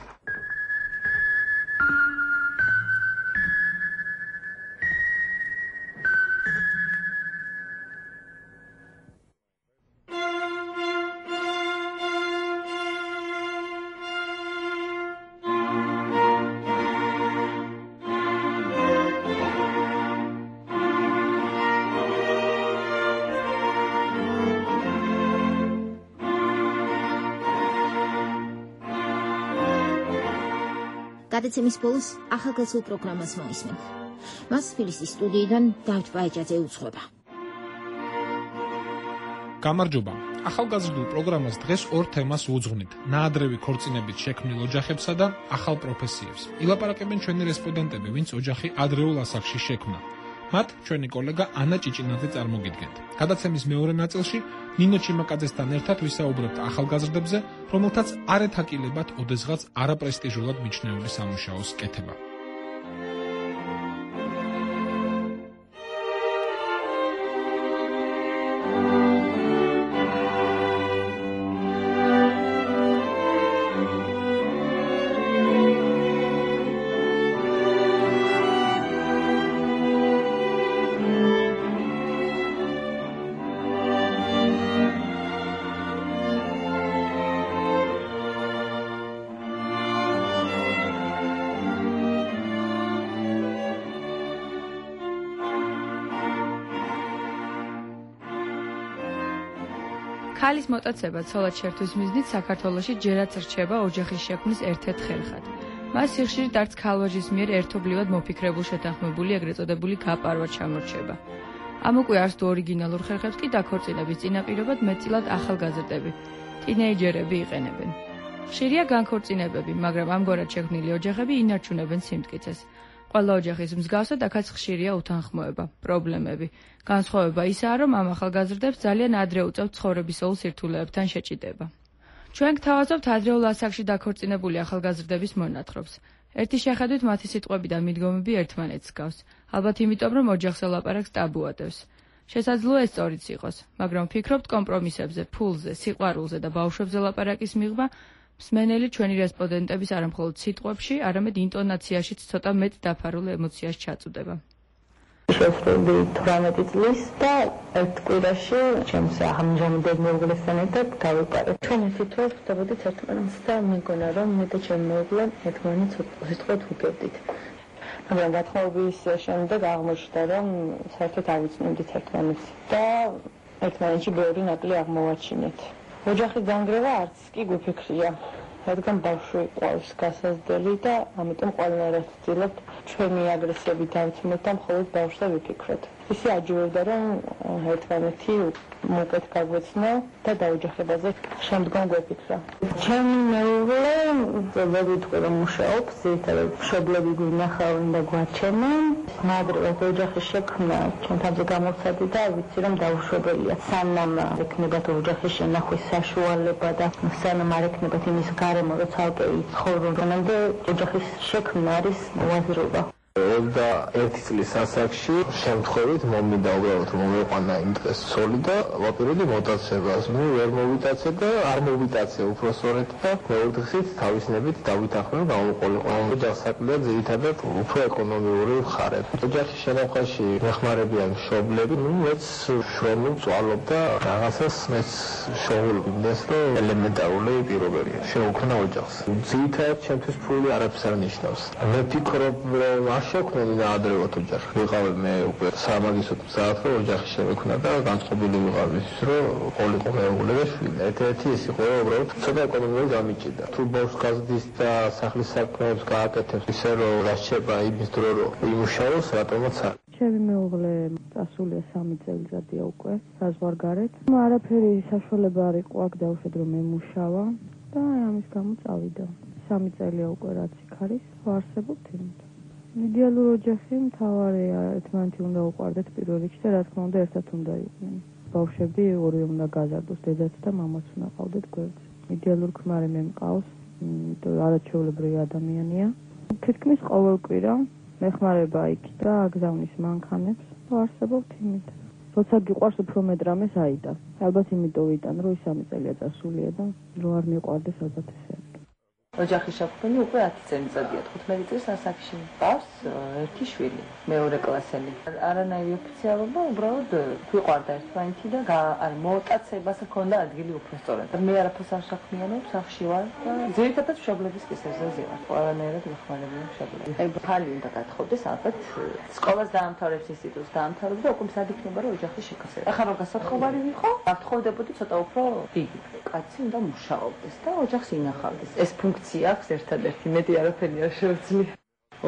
გადაცემის ბოლოს ახალგაზრდულ პროგრამას მოისმენ. მას თბილისის სტუდიიდან დავით ბაიჭაძე უძღვება. გამარჯობა. ახალგაზრდულ პროგრამას დღეს ორ თემას უძღვნით: ნაადრევი ქორწინებით შექმნილ ოჯახებსა და ახალ პროფესიებს. ილაპარაკებენ ჩვენი რესპონდენტები, ვინც ოჯახი ადრეულ ასაკში შექმნა. მათ ჩვენი კოლეგა ანა ჭიჭინაძე წარმოგიდგენთ. გადაცემის მეორე ნაწილში ნინო ჩიმაკაძესთან ერთად ვისაუბრებთ ახალგაზრდებზე, რომელთაც არ ეთაკილებათ ოდესღაც არაპრესტიჟულად მიჩნეული სამუშაოს კეთება. ქალის მოტაცება ცოლად შერთვის მიზნით საქართველოში ჯერაც რჩება ოჯახის შექმნის ერთ-ერთ ხელხად. მას სიხშირით არც ქალვაჟის მიერ ერთობლივად მოფიქრებულ შეთანხმებული ეგრეთ წოდებული გაპარვა ჩამორჩება. ამ უკვე არც თუ ორიგინალურ ხერხებს კი დაქორწინების წინაპირობად მეტწილად ახალგაზრდები, ტინეიჯერები იყენებენ. ხშირია განქორწინებები, მაგრამ ამგვარად შექმნილი ოჯახები ინარჩუნებენ სიმტკიცეს. ყველა ოჯახის მსგავსად აქაც ხშირია უთანხმოება, პრობლემები. განსხვავება ისაა, რომ ამ ახალგაზრდებს ძალიან ადრე უწევთ ცხოვრებისეულ სირთულეებთან შეჭიდება. ჩვენ გთავაზობთ ადრეულ ასაკში დაქორწინებული ახალგაზრდების მონათხრობს. ერთი შეხედვით მათი სიტყვები და მიდგომები ერთმანეთს გავს, ალბათ იმიტომ, რომ ოჯახზე ლაპარაკს ტაბუადევს. შესაძლოა ეს სწორიც იყოს, მაგრამ ვფიქრობთ კომპრომისებზე, ფულზე, სიყვარულზე და ბავშვებზე ლაპარაკის მიღმა მსმენელი ჩვენი რესპონდენტების არამხოლოდ სიტყვებში, არამედ ინტონაციაშიც ცოტა მეტ დაფარულ ემოციას ჩაწუდება. შესრულდი თვრამეტი წლის და ერთ კვირაში ჩემს ამჟამად მეუღლესთან ერთად გავიყარეთ. ჩვენ ისიც ვარ ვხვდებოდით ერთმანეთს და მეგონა რომ მე და ჩემი მეუღლე ერთმანეთს უბრალოდ ვუგებდით. მაგრამ გათხოვების შემდეგ აღმოჩნდა რომ საერთოდ არ ვიცნობდით ერთმანეთს და ერთმანეთში ბევრი ნაკლი აღმოვაჩინეთ. ოჯახის განგრევა არც კი გვიფიქრია. რადგან ბავშვი ყავს გასაზრდელი და ამიტომ ყველანაირად ვცდილობთ ჩვენი აგრესიები დავცმოთ და მხოლოდ ბავშვზე ვიფიქროთ. ისე აჯობებდა რომ ერთმანეთი უკეთ გაგვეცნო და დაოჯახებაზე შემდგომ გვეფიქრა. ჩემი მეუღლე ზოგადად რომ მუშაობს, ზედმეტად მშობლები გვინახავენ და გვაჩენენ. მაგრამ ოჯახის შექმნა ჩვენთანზე გამოცადი და ვიცი რომ დაუშვებელია. სანამ ექნებათ ოჯახის შენახვის საშუალება და სანამ არ ექნებათ იმის გარემო, რომ ცალკე იცხოვრონ, ოჯახის შექმნა არის უაზრობა. ოცდაერთი წლის ასაკში შემთხვევით მომიდა უბრალოდ რომ მოვიყვანა იმ დღეს ცოლი და ვაპირებდი მოტაცებას. ნუ ვერ მოვიტაცე და არ მოვიტაცე უბრალოდ და მეოთხით თავისნებით დავითანხმე გამოვყოლიყო. ოჯახს საქმეა ძირითადად უფრო ეკონომიური მხარე. ოჯახის შენახვაში მეხმარებიან მშობლები, ნუ მეც შრომულ წვალობ და რაღაცას მეც შოულობ იმდეს რომ ელემენტარული პირობებია. შეუქმნა ოჯახს. ძირითადად ჩემთვის ფული არაფერს არ ნიშნავს. მე ვფიქრობ რომ შექმნილი და ადრევად ოჯახი. ვიყავი მე უკვე სამაგისტრო მზად რომ ოჯახი შემექმნა და განწყობილი ვიყავი ის რომ ყოლიყო მეუღლე და შვილი. ერთ-ერთი ის იყო რომ უბრალოდ ცოტა ეკონომიური გამიჭირდა. თუ ბავშვს გაზრდის და სახლის საქმეებს გააკეთებს ისე რომ რასჭება იმის დრო რომ იმუშაოს რატომაც არ. ჩემი მეუღლე წასულია სამი წელიწადია უკვე საზღვარგარეთ. არაფერი საშუალება არ იყო აქ დავუშვათ რომ მემუშავა და ამის გამო წავიდა. სამი წელია უკვე რაც იქ არის, ვარსებობთ იმით. იდეალური ოჯახი მთავარია, ერთმანეთი უნდა უყვარდეთ პირველ რიგში და რა თქმა უნდა ერთად უნდა იყვნენ. ბავშვები ორივე უნდა გაზარდოს, დედაც და მამაც უნდა ყავდეთ გვერდზე. იდეალური ქმარი მე მყავს, იმიტომ რომ არაჩვეულებრივი ადამიანია. თითქმის ყოველ კვირა მეხმარება იქ და აგზავნის მანქანებს, ვარსებობთ იმით. როცა გიყვარს უფრო მეტ რამეს აიტან. ალბათ იმიტომ ვიტან, რომ ის სამი წელია წასულია და რო არ მიყვარდეს ალბათ ესე. ოჯახის შექმნა უკვე ათი წელიწადია. თხუთმეტი წლის ასაკში მყავს ერთი შვილი, მეორე კლასელი. არანაირი ოფიციალობა, უბრალოდ გვიყვარდა ერთმანეთი და არ მოტაცებას ჰქონდა ადგილი უფრო სწორად. მე არაფერს არ საქმიანობ, სახლში ვარ და ძირითადად მშობლების კისერზე ვარ. ყველანაირად ვეხმარებიან მშობლებს. აი ხალი უნდა გათხოვდეს, ალბათ სკოლას დაამთავრებს, ინსტიტუტს დაამთავრებს და უკვე მზად იქნება რომ ოჯახის შექმნა. ახლა რომ გასათხოვარი ვიყო, გათხოვდებოდი ცოტა უფრო დიდი. კაცი უნდა მუშაობდეს და ოჯახს ინახავდეს. ეს ფუნქცია აქვს ერთადერთი, მეტი არაფერი არ შეუძლია.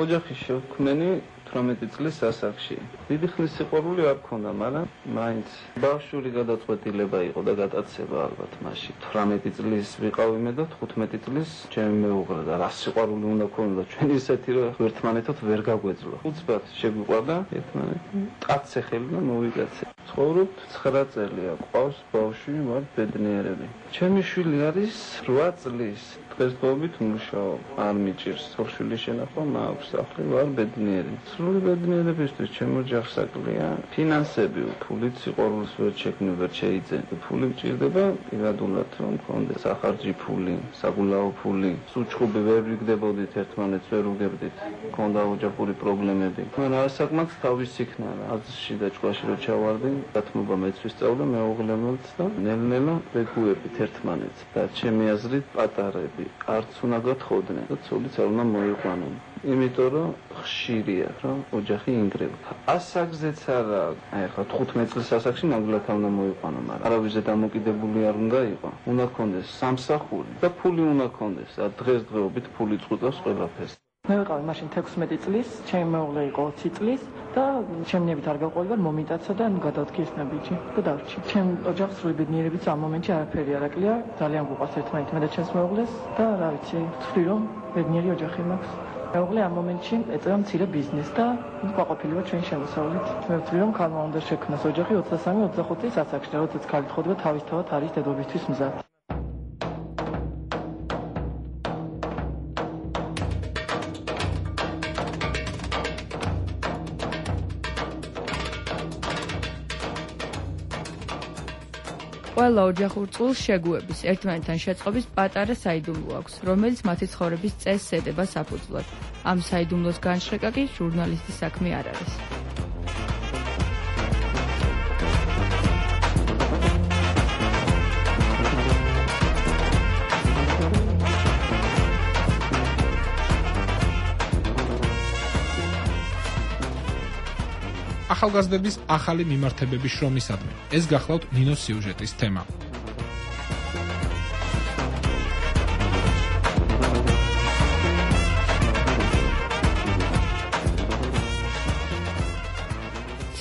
ოჯახის შექმნენი თვრამეტი წლის ასაკში. დიდი ხნის სიყვარული არ მქონდა, მაგრამ მაინც ბავშვური გადაწყვეტილება იყო და გადაცება ალბათ მაშინ. თვრამეტი წლის ვიყავი მე და თხუთმეტი წლის ჩემი მეუღლე და რა სიყვარული უნდა ქონოდა ჩვენ ისეთი რომ ერთმანეთად ვერ გაგვეძლო. უცბად შეგვიყვარდა ერთმანეთი. კაცზე ხელი და მოვიკაცე. ცხოვრობთ ცხრა წელია, ყავს ბავშვი, ვარ ბედნიერები. ჩემი შვილი არის რვა წლის. დღესდღეობით მუშაობ, არ მიჭირს სოფშვილის შენახვა, მაქვს სახლი, ვარ ბედნიერი. სრული ბედნიერებისთვის ჩემ ოჯახს აკლია ფინანსები, ფულით სიყვარულს ვერ შექმნი, ვერ შეიძენ. ფული მჭირდება პირადულად რომ მქონდეს სახარჯი ფული, საგულაო ფული. სუჩხუბი ვერ ვიგდებოდით ერთმანეთს, ვერ უგებდით. მქონდა ოჯახური პრობლემები. მაგრამ ასაკმაც თავის იქნა რა. აზრში და ჭკვაში რო ჩავარდი, დათმობა მეც ვისწავლე, მეუღლემაც და ნელ-ნელა ვეგუებით ერთმანეთს. და ჩემი აზრით პატარები არც უნდა გათხოვდნენ და ცოლიც არ უნდა მოიყვანონ. იმიტომ რომ ხშირია რომ ოჯახი ინგრევა. ასაკზეც არა, აი ხა თხუთმეტი წლის ასაკში ნამდვილად უნდა მოიყვანო, მაგრამ არავის დამოკიდებული არ უნდა იყოს. უნდა ქონდეს სამსახური და ფული უნდა ქონდეს. დღესდღეობით ფული წყვეტავს ყველაფერს. მე ვიყავი მაშინ თექვსმეტი წლის, ჩემი მეუღლე იყო ოცი წლის და შემნებით არ გავყოლიბარ მომიტაცა და გადავდგი ის ნაბიჯი და დავრჩი. ჩემ ოჯახს სრული ბედნიერებით ამ მომენტში არაფერი არ აკლია, ძალიან გვყვარს ერთმანეთი მე და ჩემს მეუღლეს და რა ვიცი, ვთვლი რომ ბედნიერი ოჯახი მაქვს. მეუღლე ამ მომენტში ეწევა მცირე ბიზნესს და გვაყოფილი ვარ ჩვენი შემოსავლით. მე ვთვლი რომ ქალმა უნდა შექმნას ოჯახი ოცდასამი ოცდახუთი წლის ასაკში, როდესაც ქალი თხოდება თავისთავად არის დედობისთვის მზად. ყველა ოჯახურ წყვილს შეგუების, ერთმანეთთან შეწყობის პატარა საიდუმლო აქვს, რომელიც მათი ცხოვრების წესს ედება საფუძვლად. ამ საიდუმლოს განშრეკა კი ჟურნალისტის საქმე არ არის. ახალგაზრდების ახალი მიმართებების შრომისადმი. ეს გახლავთ ნინოს სიუჟეტის თემა.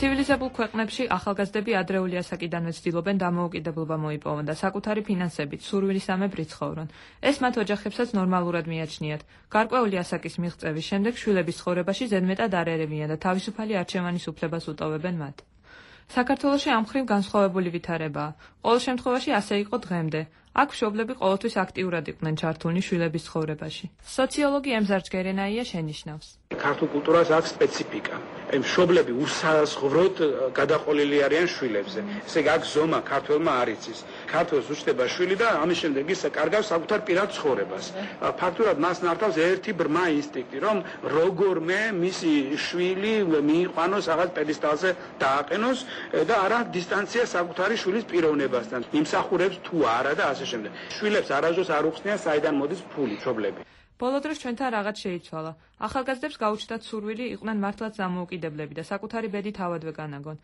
ცივილიზებულ ქვეყნებში ახალგაზრდები ადრეული ასაკიდანვე ცდილობენ დამოუკიდებლობა მოიპოვონ და საკუთარი ფინანსებით, სურვილისამებრ იცხოვრონ. ეს მათ ოჯახებსაც ნორმალურად მიაჩნიათ. გარკვეული ასაკის მიღწევის შემდეგ შვილების ცხოვრებაში ზედმეტად არ ერევიან და თავისუფალი არჩევანის უფლებას უტოვებენ მათ. საქართველოში ამ მხრივ განსხვავებული ვითარებაა. ყოველ შემთხვევაში ასე იყო დღემდე. აქ მშობლები ყოველთვის აქტიურად იყვნენ ჩართულნი შვილების ცხოვრებაში. სოციოლოგი ემზარ ჯგერენაია შენიშნავს. ქართულ კულტურას აქვს სპეციფიკა. მშობლები უსაზღვროდ გადაყოლილი არიან შვილებზე. ესე იგი, აქ ზომა ქართველმა არ იცის. ქართველს უჩნდება შვილი და ამის შემდეგ ის კარგავს საკუთარ პირად ცხოვრებას. ფაქტურად მას ნართავს ერთი ბრმა ინსტინქტი, რომ როგორმე მისი შვილი მიიყვანოს რაღაც პედესტალზე დააყენოს და არა დისტანცია საკუთარი შვილის პიროვნებასთან. იმსახურებს თუ არა და ასე შემდეგ. შვილებს არასდროს არ უხსნიან საიდან მოდის ფული მშობლები. ბოლო დროს ჩვენთან რაღაც შეიცვალა. ახალგაზრდებს გაუჩნდათ სურვილი იყვნენ მართლაც დამოუკიდებლები და საკუთარი ბედი თავადვე განაგონ.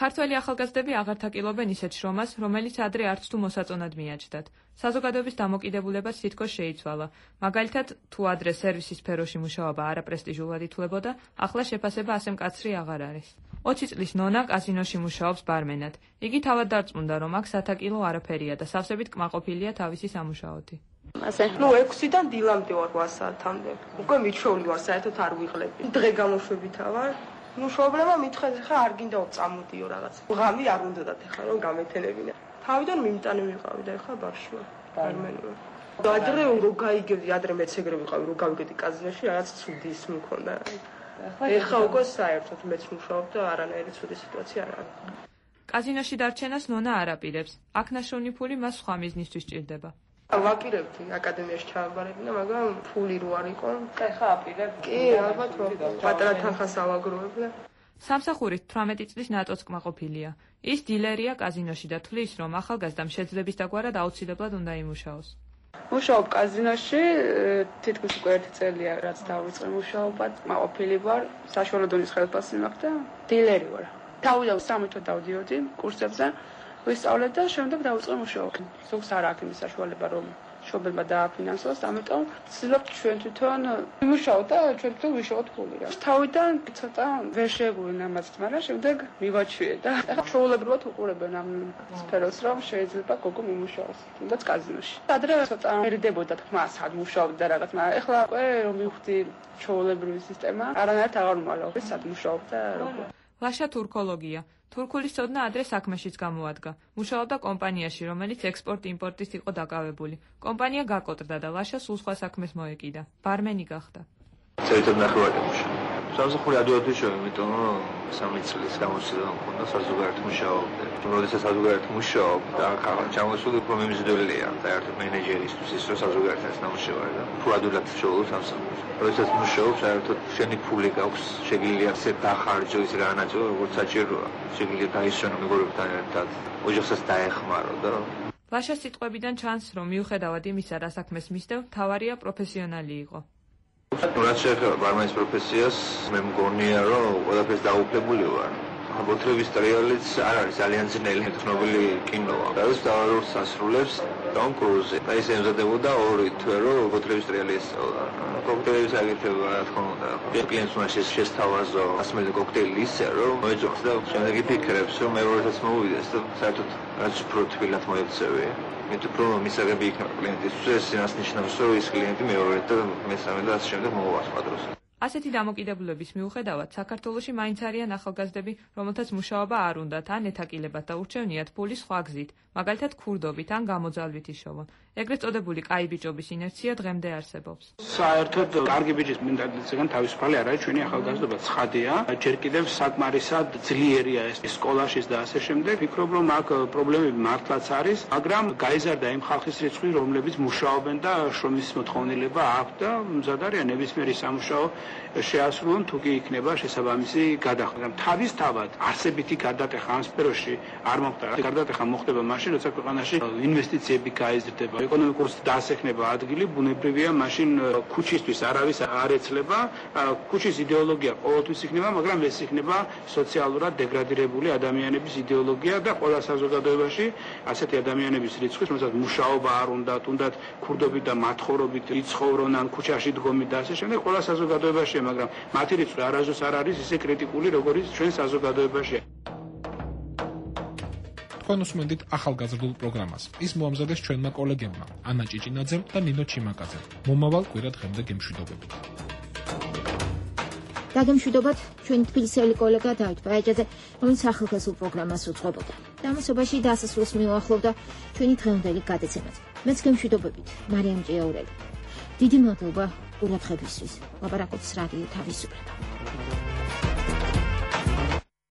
ქართველი ახალგაზრდები აღარ თაკილობენ ისეთ შრომას, რომელიც ადრე არც თუ მოსაწონად მიაჩნდათ. საზოგადოების დამოკიდებულებაც თითქოს შეიცვალა. მაგალითად, თუ ადრე სერვისის სფეროში მუშაობა არაპრესტიჟულად ითვლებოდა, ახლა შეფასება ასე მკაცრი აღარ არის. ოცი წლის ნონა კაზინოში მუშაობს ბარმენად. იგი თავად დარწმუნდა, რომ აქ სათაკილო არაფერია და სავსებით კმაყოფილია თავისი სამუშაოთი. ასე, ნუ ექვსიდან დილამდე ვარ რვა საათამდე. უკვე მიჩვეული ვარ, საერთოდ არ ვიღლები. დღე გამოშვებითა ვარ. ნუ მშობლებმა მითხრეს, ხა არ გინდა წამოდიო რაღაც. ღამი არ უნდათ ახლა რომ გამეთენებინა. თავიდან მიმტანი ვიყავი და ახლა ბარში ვარ. ბარმენი ვარ. ადრე რო გაიგებდი, ადრე მეც ეგრე ვიყავი, რო გავიგედი კაზინოში, რაღაც ცუდი ის მქონდა. ეხლა უკვე საერთოდ მეც მუშაობ და არანაირი ცუდი სიტუაცია არ არის. კაზინოში დარჩენას ნონა არ აპირებს. აქ ნაშოვნი ფული მას სხვა მიზნისთვის სჭირდება. ვაპირებდი აკადემიაში ჩავაბარებინა, მაგრამ ფული რო არ იყო. ეხლა აპირებ? კი, ალბათ პატარა თანხას ავაგროვებლე. სამსახურით თვრამეტი წლის ნატოც კმაყოფილია. ის დილერია კაზინოში და თვლის, რომ ახალგაზრდამ შეძლების დაგვარად აუცილებლად უნდა იმუშაოს. მუშაობ კაზინოში, თითქოს უკვე ერთი წელია, რაც დავიწყე მუშაობად. კმაყოფილი ვარ, საშუალო დონის ხელფასი მაქვს და დილერი ვარ. თავიდან სამი თვე დავდიოდი კურსებზე. ვისწავლეთ და შემდეგ დავიწყე მუშაობა. ზოგს არ აქვს იმის საშუალება, რომ მშობლებმა დააფინანსოს, ამიტომ ვცდილობთ ჩვენ თვითონ ვიმუშაოთ და ჩვენ თვითონ ვიშოვოთ ფული. თავიდან ცოტა ვერ შეგვინა ამას, მაგრამ შემდეგ მივაჩვიე და ახლა ჩვეულებრივად უყურებენ ამ სფეროს, რომ შეიძლება გოგო მიმუშაოს, თუნდაც კაზინოში. ადრე ცოტა მერიდებოდა თქმა, სად მუშაობ და რაღაც, მაგრამ ახლა უკვე რომ მივხვდი ჩვეულებრივი სისტემა, არანაირად აღარ ვმალავ, სად მუშაობ და როგორ. ლაშა თურქოლოგია. თურქულის ცოდნა ადრე საქმეშიც გამოადგა. მუშაობდა კომპანიაში, რომელიც ექსპორტ-იმპორტის იყო დაკავებული. კომპანია გაკოტრდა და ლაშა სულ სხვა საქმეს მოეკიდა. ბარმენი გახდა. საერთოდ ნახევარი მუშაობა. სამსახური ადვილად ვიშოვე, იმიტომ რომ სამი წლის გამოცდილება მქონდა საზოგადოებრივ მუშაობდე. როდესაც საზოგადოებრივ მუშაობ და ჩამოსული უფრო მიმზიდველია საერთოდ მენეჯერისთვის ის რომ საზოგადოებრივ ნამუშევარი და უფრო ადვილად შევოლ სამსახურს. როდესაც მუშაობ საერთოდ შენი ფული გაქვს, შეგიძლია ისე დახარჯო, ისე განაწილო, როგორც საჭიროა. შეგიძლია გაიშენო მეგობრებთან ერთად, ოჯახსაც დაეხმარო და ლაშას სიტყვებიდან ჩანს, რომ მიუხედავად იმისა, რა საქმეს მისდევ, თავარია პროფესიონალი იყო. რაც შეეხება ბარმენის პროფესიას, მე მგონია, რომ ყველაფერს დაუფლებული ვარ. აბოთრების ტრიალიც არ არის ძალიან ძნელი, ცნობილი კინოა. რაც დავაროს ასრულებს ტომ კრუზი. და ის ემზადებოდა ორი თვე, რომ აბოთრების ტრიალი ესწავლა. კოქტეილის აგირთება, რა თქმა უნდა. კლიენტს უნდა შესთავაზო ასმელი კოქტეილი ისე, რომ მოეძახს და შემდეგ იფიქრებს, რომ მეორედაც მოვიდეს და საერთოდ რაც უფრო თბილად მოექცევი. მე თუ პრომო მისაღები იქნება კლიენტისთვის, ეს ნიშნავს, რომ ის კლიენტი მეორე და მესამე და ასე შემდეგ მოვა სხვა დროს. ასეთი დამოკიდებულების მიუხედავად, საქართველოში მაინც არიან ახალგაზრდები, რომელთაც მუშაობა არ უნდათ, ან ეთაკილებათ და ურჩევნიათ ფული სხვა გზით, მაგალითად ქურდობით ან გამოძალვით იშოვონ. ეგრეთ წოდებული კაი ბიჭობის ინერცია დღემდე არსებობს. საერთოდ კარგი ბიჭის მენტალიტეტიდან თავისუფალი არ არის ჩვენი ახალგაზრდობა, ცხადია. ჯერ კიდევ საკმარისად ძლიერია ეს სკოლაშიც და ასე შემდეგ. ვფიქრობ, რომ აქ პრობლემები მართლაც არის, მაგრამ გაიზარდა იმ ხალხის რიცხვი, რომლებიც მუშაობენ და შრომის მოთხოვნილება აქვთ და მზად არიან ნებისმიერი სამუშაო შეასრულონ, თუ კი იქნება შესაბამისი გადახდა. თავისთავად არსებითი გარდატეხა ამ სფეროში არ მოხდა. გარდატეხა მოხდება მაშინ, როცა ქვეყანაში ინვესტიციები გაიზრდება, ეკონომიკური დაასახნება ადგილი, ბუნებრივია, მაშინ ქუჩისთვის არავის არ ეცლება, ქუჩის იდეოლოგია ყოველთვის იქნება, მაგრამ ეს იქნება სოციალურად დეგრადირებული ადამიანების იდეოლოგია და ყველა საზოგადოებაში ასეთი ადამიანების რიცხვის, რომელსაც მუშაობა არ უნდათ, უნდათ ქურდობით და მათხოვრობით იცხოვრონ ან ქუჩაში დგომით და ასე შემდეგ, ყველა საზოგადოებაშია, მაგრამ მათი რიცხვი არასდროს არ არის ისე კრიტიკული, როგორც ჩვენ საზოგადოებაშია. თქვენ უსმენთ ახალგაზრდულ პროგრამას. ის მოამზადეს ჩვენმა კოლეგებმა ანა ჭიჭინაძემ და ნინო ჩიმაკაძემ. მომავალ კვირა დღემდე გემშვიდობებით. დაგემშვიდობათ ჩვენი თბილისელი კოლეგა დავით ბაიაჭაძე, რომელიც ახალგაზრდულ პროგრამას უძღვებოდა. დამასობაში დასასრულს მიუახლოვდა ჩვენი დღევანდელი გადაცემაც. მეც გემშვიდობებით, მარიამ ჭიაურელი. დიდი მადლობა ყურადღებისთვის. ლაპარაკობს რადიო თავისუფლება.